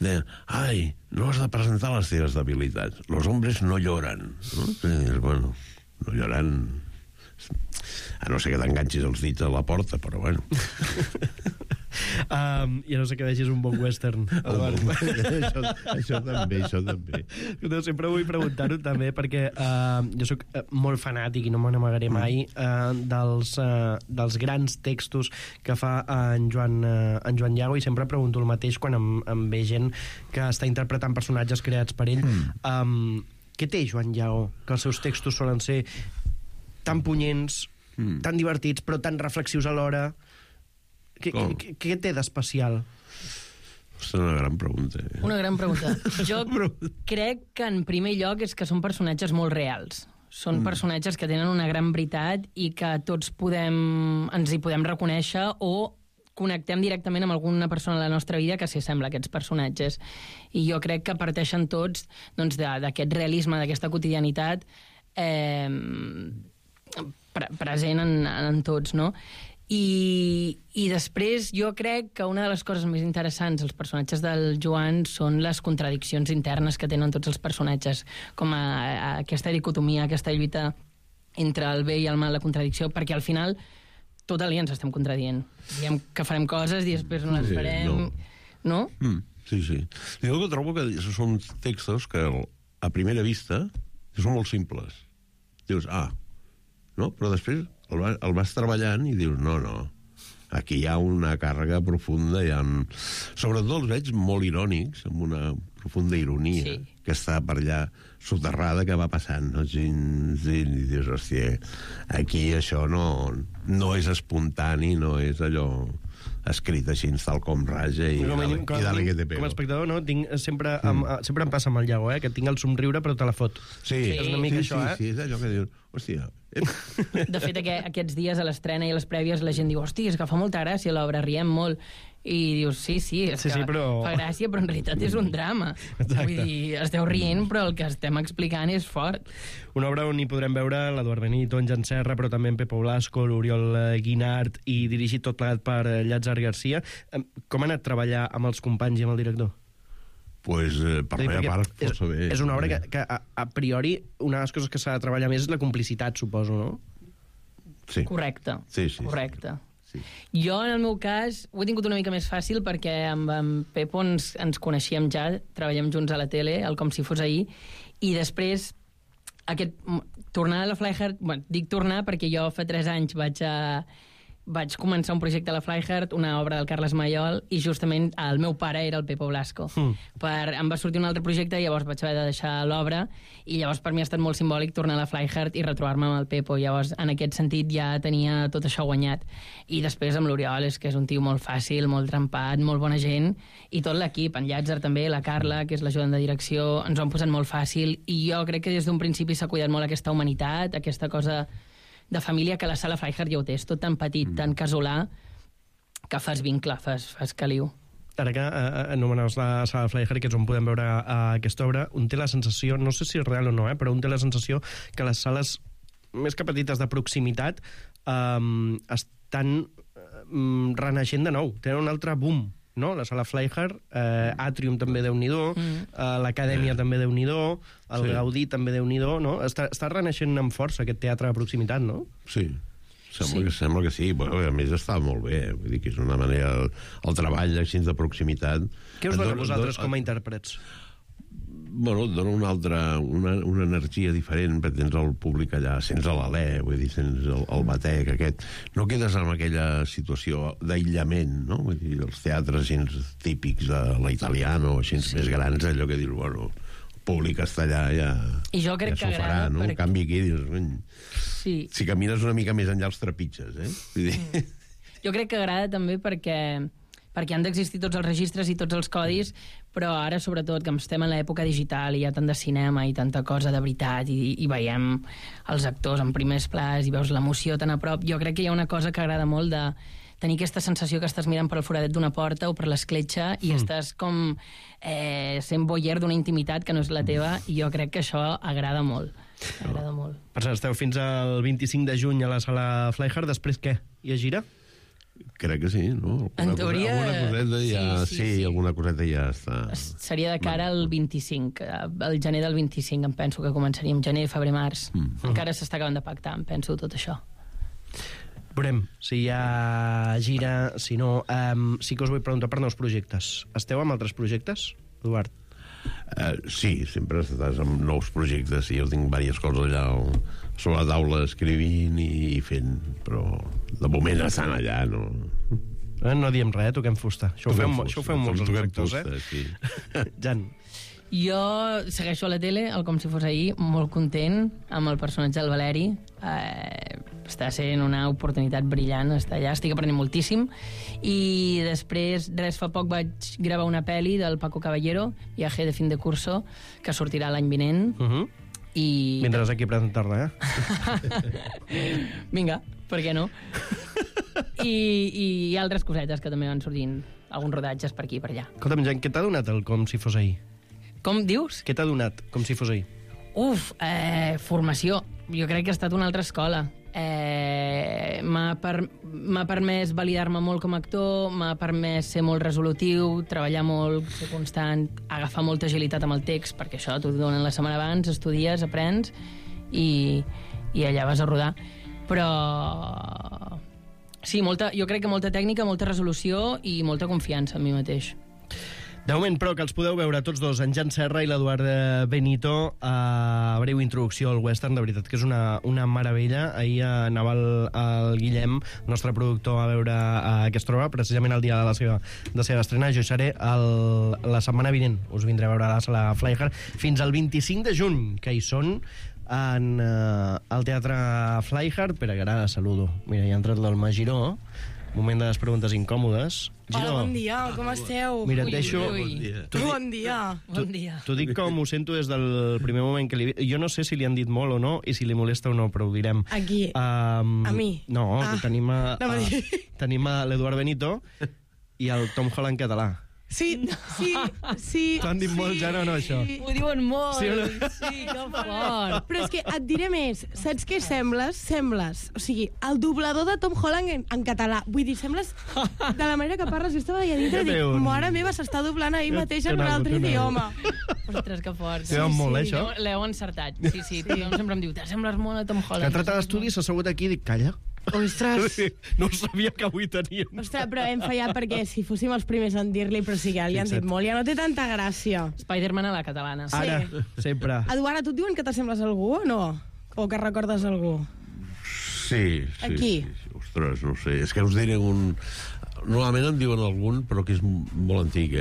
deien, ai, no has de presentar les teves debilitats. Los hombres no lloran. No? I dius, bueno, no lloran... A no ser que t'enganxis els dits a la porta, però bueno. I a no sé que vegis un bon western. Això també. Sempre vull preguntar-ho també perquè jo sóc molt fanàtic i no me n'amagaré mai dels grans textos que fa en Joan Llago, i sempre pregunto el mateix quan em ve gent que està interpretant personatges creats per ell. Què té Joan Llago? Que els seus textos solen ser tan punyents, tan divertits, però tan reflexius alhora. Què té d'especial? És una gran pregunta. Una gran pregunta. Jo crec que en primer lloc és que són personatges molt reals. Són personatges que tenen una gran veritat i que tots ens hi podem reconèixer o connectem directament amb alguna persona a la nostra vida que s'hi sembla a aquests personatges. I jo crec que parteixen tots d'aquest realisme, d'aquesta quotidianitat present en tots, no? I després jo crec que una de les coses més interessants dels personatges del Joan són les contradiccions internes que tenen tots els personatges, com aquesta dicotomia, aquesta lluita entre el bé i el mal, la contradicció, perquè al final tot el dia ens estem contradient. Diem que farem coses i després no les farem, no? Sí. Jo trobo que són textos que a primera vista són molt simples. Dius, no? Però després el vas treballant i dius, no, aquí hi ha una càrrega profunda, sobretot els veig molt irònics, amb una profunda ironia, que està per allà soterrada, que va passant, no? I dius, hòstia, aquí això no és espontani, no és allò escrit així, tal com raja, i dale que te pego. Com a espectador, no? Sempre em passa amb el Llago, que tinc el somriure però te la fot. Sí, és una mica això, sí, és allò que dius, hòstia. De fet, aquests dies a l'estrena i a les prèvies la gent diu, hòstia, és que fa molta gràcia l'obra, riem molt. I dius, sí, però fa gràcia, però en realitat és un drama. Exacte. Vull dir, esteu rient, però el que estem explicant és fort. Una obra on hi podrem veure l'Eduard Benito, en Jan Serra, però també en Pepo Blasco, l'Oriol Guinart, i dirigit tot plegat per Llàtzer Garcia. Com ha anat treballar amb els companys i amb el director? Pues, per la meva part, força bé. És una obra que a priori, una de les coses que s'ha de treballar més és la complicitat, suposo, no? Sí. Correcte. Sí. Correcte. Sí. Jo, en el meu cas, ho he tingut una mica més fàcil perquè amb en Pepo ens coneixíem ja, treballem junts a la tele, com si fos ahir, i després tornar a la Flyheart, dic tornar perquè jo fa 3 anys vaig començar un projecte a la Flyheart, una obra del Carles Mayol, i justament el meu pare era el Pepo Blasco. Em va sortir un altre projecte i llavors vaig haver de deixar l'obra, i llavors per mi ha estat molt simbòlic tornar a la Flyheart i retrobar-me amb el Pepo. Llavors, en aquest sentit, ja tenia tot això guanyat. I després amb l'Oriol, és que és un tio molt fàcil, molt trempat, molt bona gent, i tot l'equip, en Llàtzer també, la Carla, que és l'ajudant de direcció, ens ho han posat molt fàcil, i jo crec que des d'un principi s'ha cuidat molt aquesta humanitat, aquesta cosa de família que la sala Flyheart ja ho té. És tot tan petit, tan casolà, que fas vincle, fas caliu. Ara que anomenaves la sala Flyheart, que és on podem veure aquesta obra, un té la sensació, no sé si és real o no, però un té la sensació que les sales més que petites de proximitat estan renaixent de nou, tenen un altre boom, no? La sala Flyheart, Atrium també Déu-n'hi-do, l'Acadèmia també Déu-n'hi-do, el Gaudí també Déu-n'hi-do, no? Està renaixent amb força aquest teatre de proximitat, no? Sí. Sembla que sí, però a més està molt bé, vull dir que és una manera, el treball així de proximitat. Què us dona a vosaltres com a intèrprets? Bueno, et dona una energia diferent, perquè tens el públic allà, sents l'alè, vull dir, sents el batec aquest. No quedes en aquella situació d'aïllament, no? Vull dir, els teatres així típics de la Italiana o així més grans, allò que dius, bueno, el públic està allà, ja s'ho farà, no? En canvi aquí dius, si camines una mica més enllà els trepitges, Vull dir... Jo crec que agrada també perquè han d'existir tots els registres i tots els codis, però ara, sobretot, que estem en l'època digital i hi ha tant de cinema i tanta cosa de veritat i veiem els actors en primers plans i veus l'emoció tan a prop, jo crec que hi ha una cosa que agrada molt de tenir aquesta sensació que estàs mirant per el foradet d'una porta o per l'escletxa i estàs com sent voyeur d'una intimitat que no és la teva, i jo crec que això agrada molt. Agrada molt. Per cert, esteu fins al 25 de juny a la sala Flyheart, després què? Hi ha gira? Crec que sí, no? En teoria... Alguna coseta ja... alguna coseta ja està... Seria de cara al 25, al gener del 25, em penso que començaríem, gener, febrer, març. Encara s'està acabant de pactar, em penso, tot això. Veurem si hi ha gira, si no. Sí que us vull preguntar per nous projectes. Esteu amb altres projectes, Eduard? Sí, sempre estàs amb nous projectes i jo tinc diverses coses allà sobre la taula escrivint i fent, però de moment estan allà, no? No diem res, toquem fusta. Això ho fem molts els actors, sí. Jan. Jo segueixo a la tele, el Com si fos ahir, molt content amb el personatge del Valeri. Està sent una oportunitat brillant, està allà, estic aprenent moltíssim. I després, fa poc vaig gravar una pel·li del Paco Caballero, Viaje de fin de curso, que sortirà l'any vinent. I... Vindràs aquí a presentar-la, Vinga, per què no? I altres cosetes que també van sortint, alguns rodatges per aquí i per allà. Escolta'm, Jan, què t'ha donat el Com si fos ahir? Com dius? Què t'ha donat Com si fos ahir? Formació. Jo crec que ha estat una altra escola. M'ha permès validar-me molt com a actor, m'ha permès ser molt resolutiu, treballar molt, ser constant, agafar molta agilitat amb el text, perquè això t'ho donen la setmana abans, estudies, aprens i allà vas a rodar. Però sí, jo crec que molta tècnica, molta resolució i molta confiança en mi mateix. De moment, però, que els podeu veure tots dos, en Jan Serra i l'Eduard Benito, a breu introducció al western, de veritat que és una meravella. Ahir anava el Guillem, nostre productor, a veure aquesta obra, precisament el dia de la seva estrena. Jo seré la setmana vinent, us vindré a veure a la sala Flyhard, fins al 25 de juny, que hi són al Teatre Flyhard. Pere Garà, saludo. Mira, hi ha entrat l'Alma Giró. Moment de les preguntes incòmodes. Hola, bon dia, com esteu? Mira, et deixo... Bon dia. T'ho dic com ho sento des del primer moment que li... Jo no sé si li han dit molt o no i si li molesta o no, però ho direm. Aquí? A mi? No, tenim l'Eduard Benito i el Tom Holland català. Sí. T'ho han dit molt, ja no, això? Ho diuen molt. Sí, que fort. Però és que et diré més. Saps què sembles? O sigui, el doblador de Tom Holland en català. Vull dir, sembles de la manera que parles. Jo estava allà dintre i dic, mare meva, s'està doblant ahir mateix en un altre idioma. Ostres, que fort. T'ho molt, això? L'heu encertat. Sí. Tothom sempre em diu, sembles molt a Tom Holland. Que ha tratat d'estudi, s'ha assegut aquí i dic, calla. Ostres. No sabia que avui teníem. Ostres, però hem fallat perquè si fóssim els primers en dir-li, però sí que li han dit molt, ja no té tanta gràcia. Spider-Man a la catalana. Ara, sempre. Eduard, a tu et diuen que t'assembles a algú o no? O que recordes algú? Sí. Aquí? Sí. Ostres, no sé. És que us diré un... Normalment em diuen algun, però que és molt antic,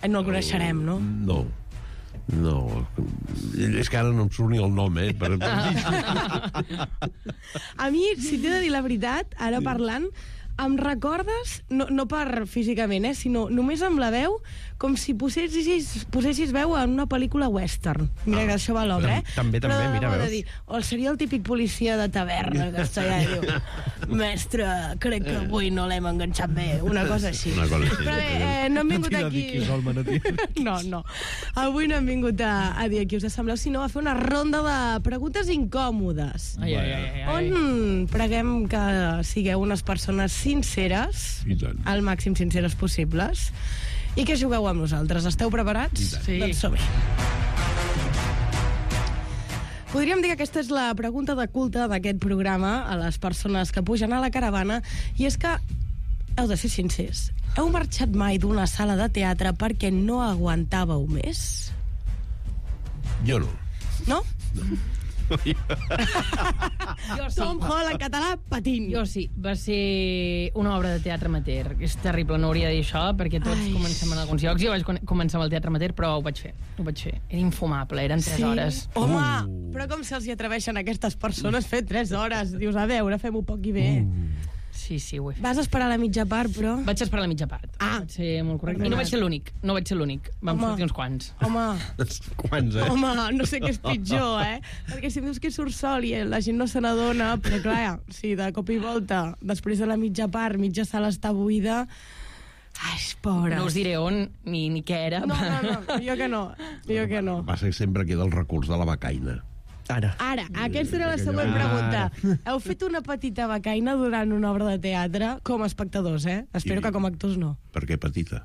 No el coneixerem, no? No, és que ara no em surt ni el nom, A mi, si t'he de dir la veritat, ara parlant, em recordes, no per físicament, sinó només amb la veu, com si posessis veu en una pel·lícula western. Mira que això va a l'obra, També, mira, veus? Dir, o seria el típic policia de taverna que està allà i diu, mestre, crec que avui no l'hem enganxat bé, una cosa així. Però bé, no hem vingut aquí... No. Avui no hem vingut a dir a qui us assembleu, sinó a fer una ronda de preguntes incòmodes. On preguem que sigueu unes persones sinceres, al màxim sinceres possibles, i que jugueu amb nosaltres. Esteu preparats? Sí. Doncs som-hi. Podríem dir que aquesta és la pregunta de culte d'aquest programa a les persones que pugen a la caravana, i és que heu de ser sincers. Heu marxat mai d'una sala de teatre perquè no aguantàveu més? Jo no. No? Jo sí. Tom Holland, català, patint. Jo sí. Va ser una obra de teatre amateur. És terrible, no hauria de dir això, perquè tots comencem en alguns llocs. Jo vaig començar amb el teatre amateur, però ho vaig fer. Era infumable, eren 3 hores. Home, però com se'ls hi atreveixen a aquestes persones fer 3 hores? Dius, a veure, fem-ho poc i bé. Sí, ho he fet. Vas esperar la mitja part, però... Vaig esperar la mitja part. Vaig ser molt correcte. I no vaig ser l'únic. Vam sortir uns quants. Home, Quants, home, no sé què és pitjor, Perquè si em dius que surt sol i la gent no se n'adona, però clar, si de cop i volta, després de la mitja part, mitja sala està buida... Ai, pobres. No us diré on ni què era. No, jo que no. Va ser sempre queda el recurs de la becaina. Ara, aquesta era la següent pregunta. Heu fet una petita becaina durant una obra de teatre com a espectadors, Espero que com a actors no. Per què petita?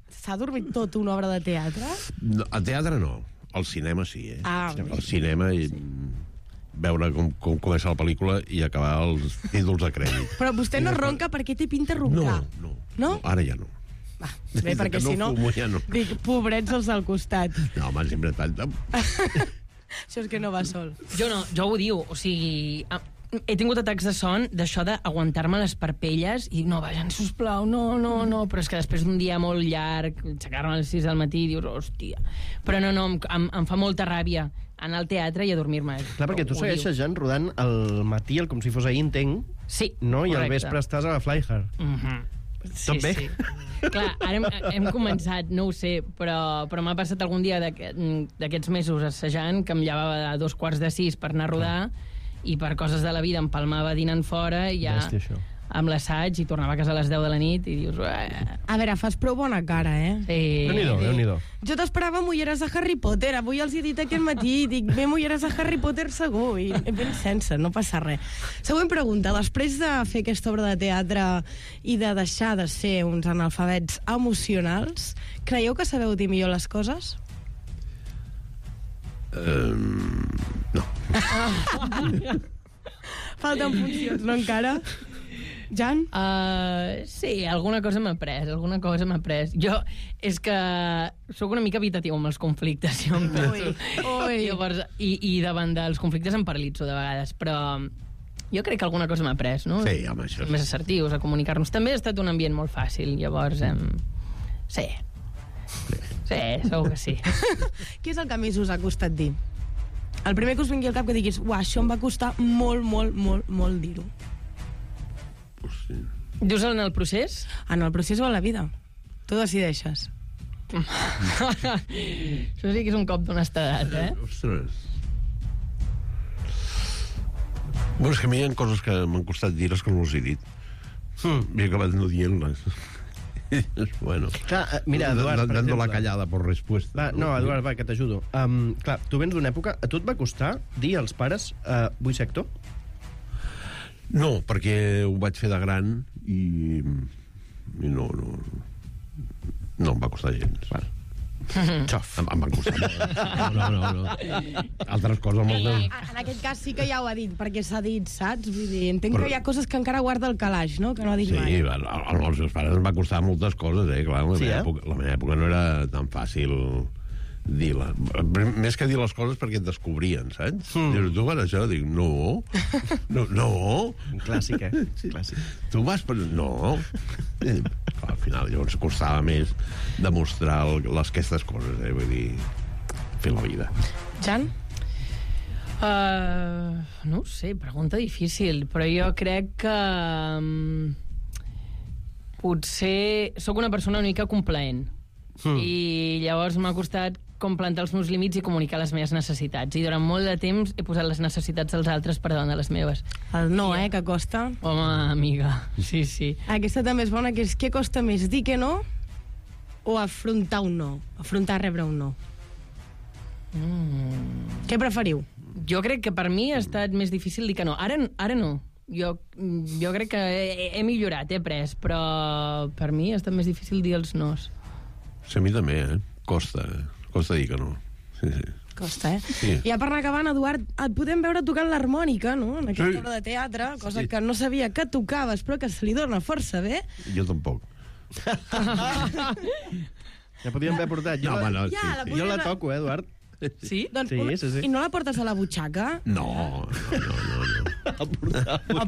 S'ha dormit tot una obra de teatre? No, a teatre no. Al cinema sí, Al cinema veure com comença la pel·lícula i acabar els títols de crèdit. Però vostè no ronca perquè té pinta roncar. No? Ara ja no. Bé, perquè si no, dic, pobrets els al costat. No, home, sempre tant. Això és que no va sol. Jo no, jo ho diu, o sigui... He tingut atacs de son d'això d'aguantar-me les parpelles i no, vaja, sisplau, no, però és que després d'un dia molt llarg, aixecar-me a les 6 del matí i dius, hòstia. Però no, em fa molta ràbia anar al teatre i adormir-me. Clar, perquè tu segueixes, Jan, rodant al matí, com si fos ahir, entenc. Sí, no? I correcte. al vespre estàs a la Flyhard. Tot bé? Sí. Clar, ara hem començat, no ho sé, però m'ha passat algun dia d'aquests mesos assajant que em llevava a 2:45 per anar a rodar i per coses de la vida em palmava dinant fora i ja amb l'assaig i tornava a casa a les 10 de la nit i dius... A veure, fas prou bona cara, eh? Sí. Déu-n'hi-do. Jo t'esperava mulleres de Harry Potter. Avui els he dit aquest matí, dic, bé, mulleres de Harry Potter segur, i ben sense, no passa res. Següent pregunta. Després de fer aquesta obra de teatre i de deixar de ser uns analfabets emocionals, creieu que sabeu dir millor les coses? No. Falten funcions, no encara? Jan? Sí, alguna cosa m'ha après. Jo és que sóc una mica evitatiu amb els conflictes, jo em penso. Llavors, i davant dels conflictes em paralitzo de vegades, però jo crec que alguna cosa m'ha après, no? Sí, home, això més assertius, a comunicar-nos. També ha estat un ambient molt fàcil, llavors... Sí, segur que sí. Què és el que més us ha costat dir? El primer que us vingui al cap que diguis, això em va costar molt dir-ho. Dius en el procés? En el procés o en la vida. Tu decideixes. Això sí que és un cop d'honestedat, eh? Ostres. Bueno, és que a mi hi ha coses que m'han costat dir-les que no les he dit. M'he acabat no dient-les. Bueno. Clar, mira, Eduard, per dando exemple... la callada por respuesta. Va, no, Eduard, va, que t'ajudo. Clar, tu vens d'una època... A tu et va costar dir als pares vull ser actor? No, perquè ho vaig fer de gran i no em va costar gens. Val. Xof. Em va costar molt. No. Altres coses molt... En aquest cas sí que ja ho ha dit, perquè s'ha dit, saps? Vull dir, entenc que hi ha coses que encara guarda el calaix, no? Que no ha dit mai. Sí, als meus pares em va costar moltes coses, clar. La meva època no era tan fàcil dir-la. Més que dir les coses perquè et descobrien, saps? Dius, tu vas això? Dic, no. Clàssic, Clàssic. Tu vas per... No. Al final, llavors, costava més demostrar aquestes coses, vull dir, fer la vida. Jan? No ho sé, pregunta difícil, però jo crec que potser sóc una persona una mica complaent i llavors m'ha costat com plantar els meus límits i comunicar les meves necessitats. I durant molt de temps he posat les necessitats dels altres per davant de les meves. El no, que costa. Home, amiga, sí. Aquesta també és bona, que és què costa més, dir que no o afrontar un no? Afrontar rebre un no. Què preferiu? Jo crec que per mi ha estat més difícil dir que no. Ara no. Jo crec que he millorat, he après, però per mi ha estat més difícil dir els nos. Sí, a mi també, Costa dir que no. Sí. Costa, Sí. I ja per anar acabant, Eduard, et podem veure tocant l'harmònica, no?, en aquesta obra de teatre, cosa que no sabia que tocaves, però que se li dona força bé. Jo tampoc. Ja podíem haver portat. Jo la toco, Eduard. Sí? Doncs sí. I no la portes a la butxaca? No.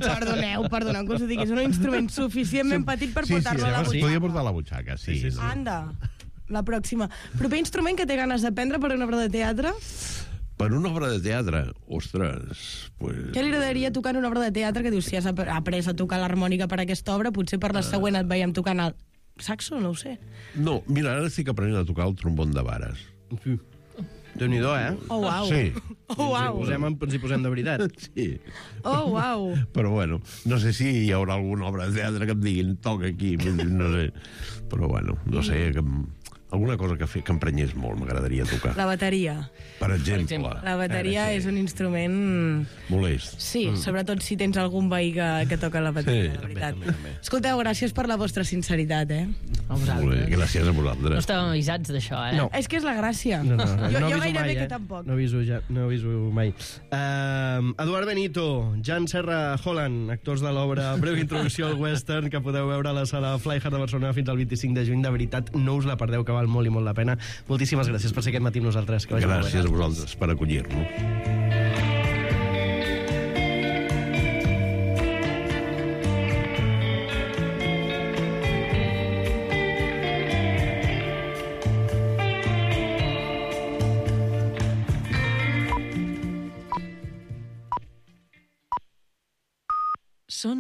Perdoneu que us ho digui, és un instrument suficientment petit per portar-lo a la butxaca. Podia portar a la butxaca, sí. Anda, la pròxima. Proper instrument que té ganes d'aprendre per una obra de teatre? Per una obra de teatre? Ostres, pues... Què li agradaria tocar en una obra de teatre que dius, si has après a tocar l'harmònica per aquesta obra, potser per la següent et veiem tocant el saxo, no ho sé. No, mira, ara estic aprenent a tocar el trombon de vares. Déu-n'hi-do, Oh, uau. Sí. Oh, uau. Ens hi posem de veritat. Sí. Oh, uau. Però bueno, no sé si hi haurà alguna obra de teatre que em diguin toca aquí, no sé. Però bueno, no sé, que alguna cosa que emprenyés molt, m'agradaria tocar. La bateria. Per exemple. La bateria és un instrument... Molest. Sí, sobretot si tens algun veí que toca la bateria, de veritat. Escolteu, gràcies per la vostra sinceritat, Molt bé, gràcies a vosaltres. No estàvem avisats d'això, No. És que és la gràcia. No, jo gairebé que tampoc. No aviso mai. Eduard Benito, Jan Serra Holland, actors de l'obra Breu introducció al western, que podeu veure a la sala Fly Hard de Barcelona fins al 25 de juny. De veritat, no us la perdeu, que val molt i molt la pena. Moltíssimes gràcies per ser aquest matí amb nosaltres. Gràcies a vosaltres per acollir-nos. Són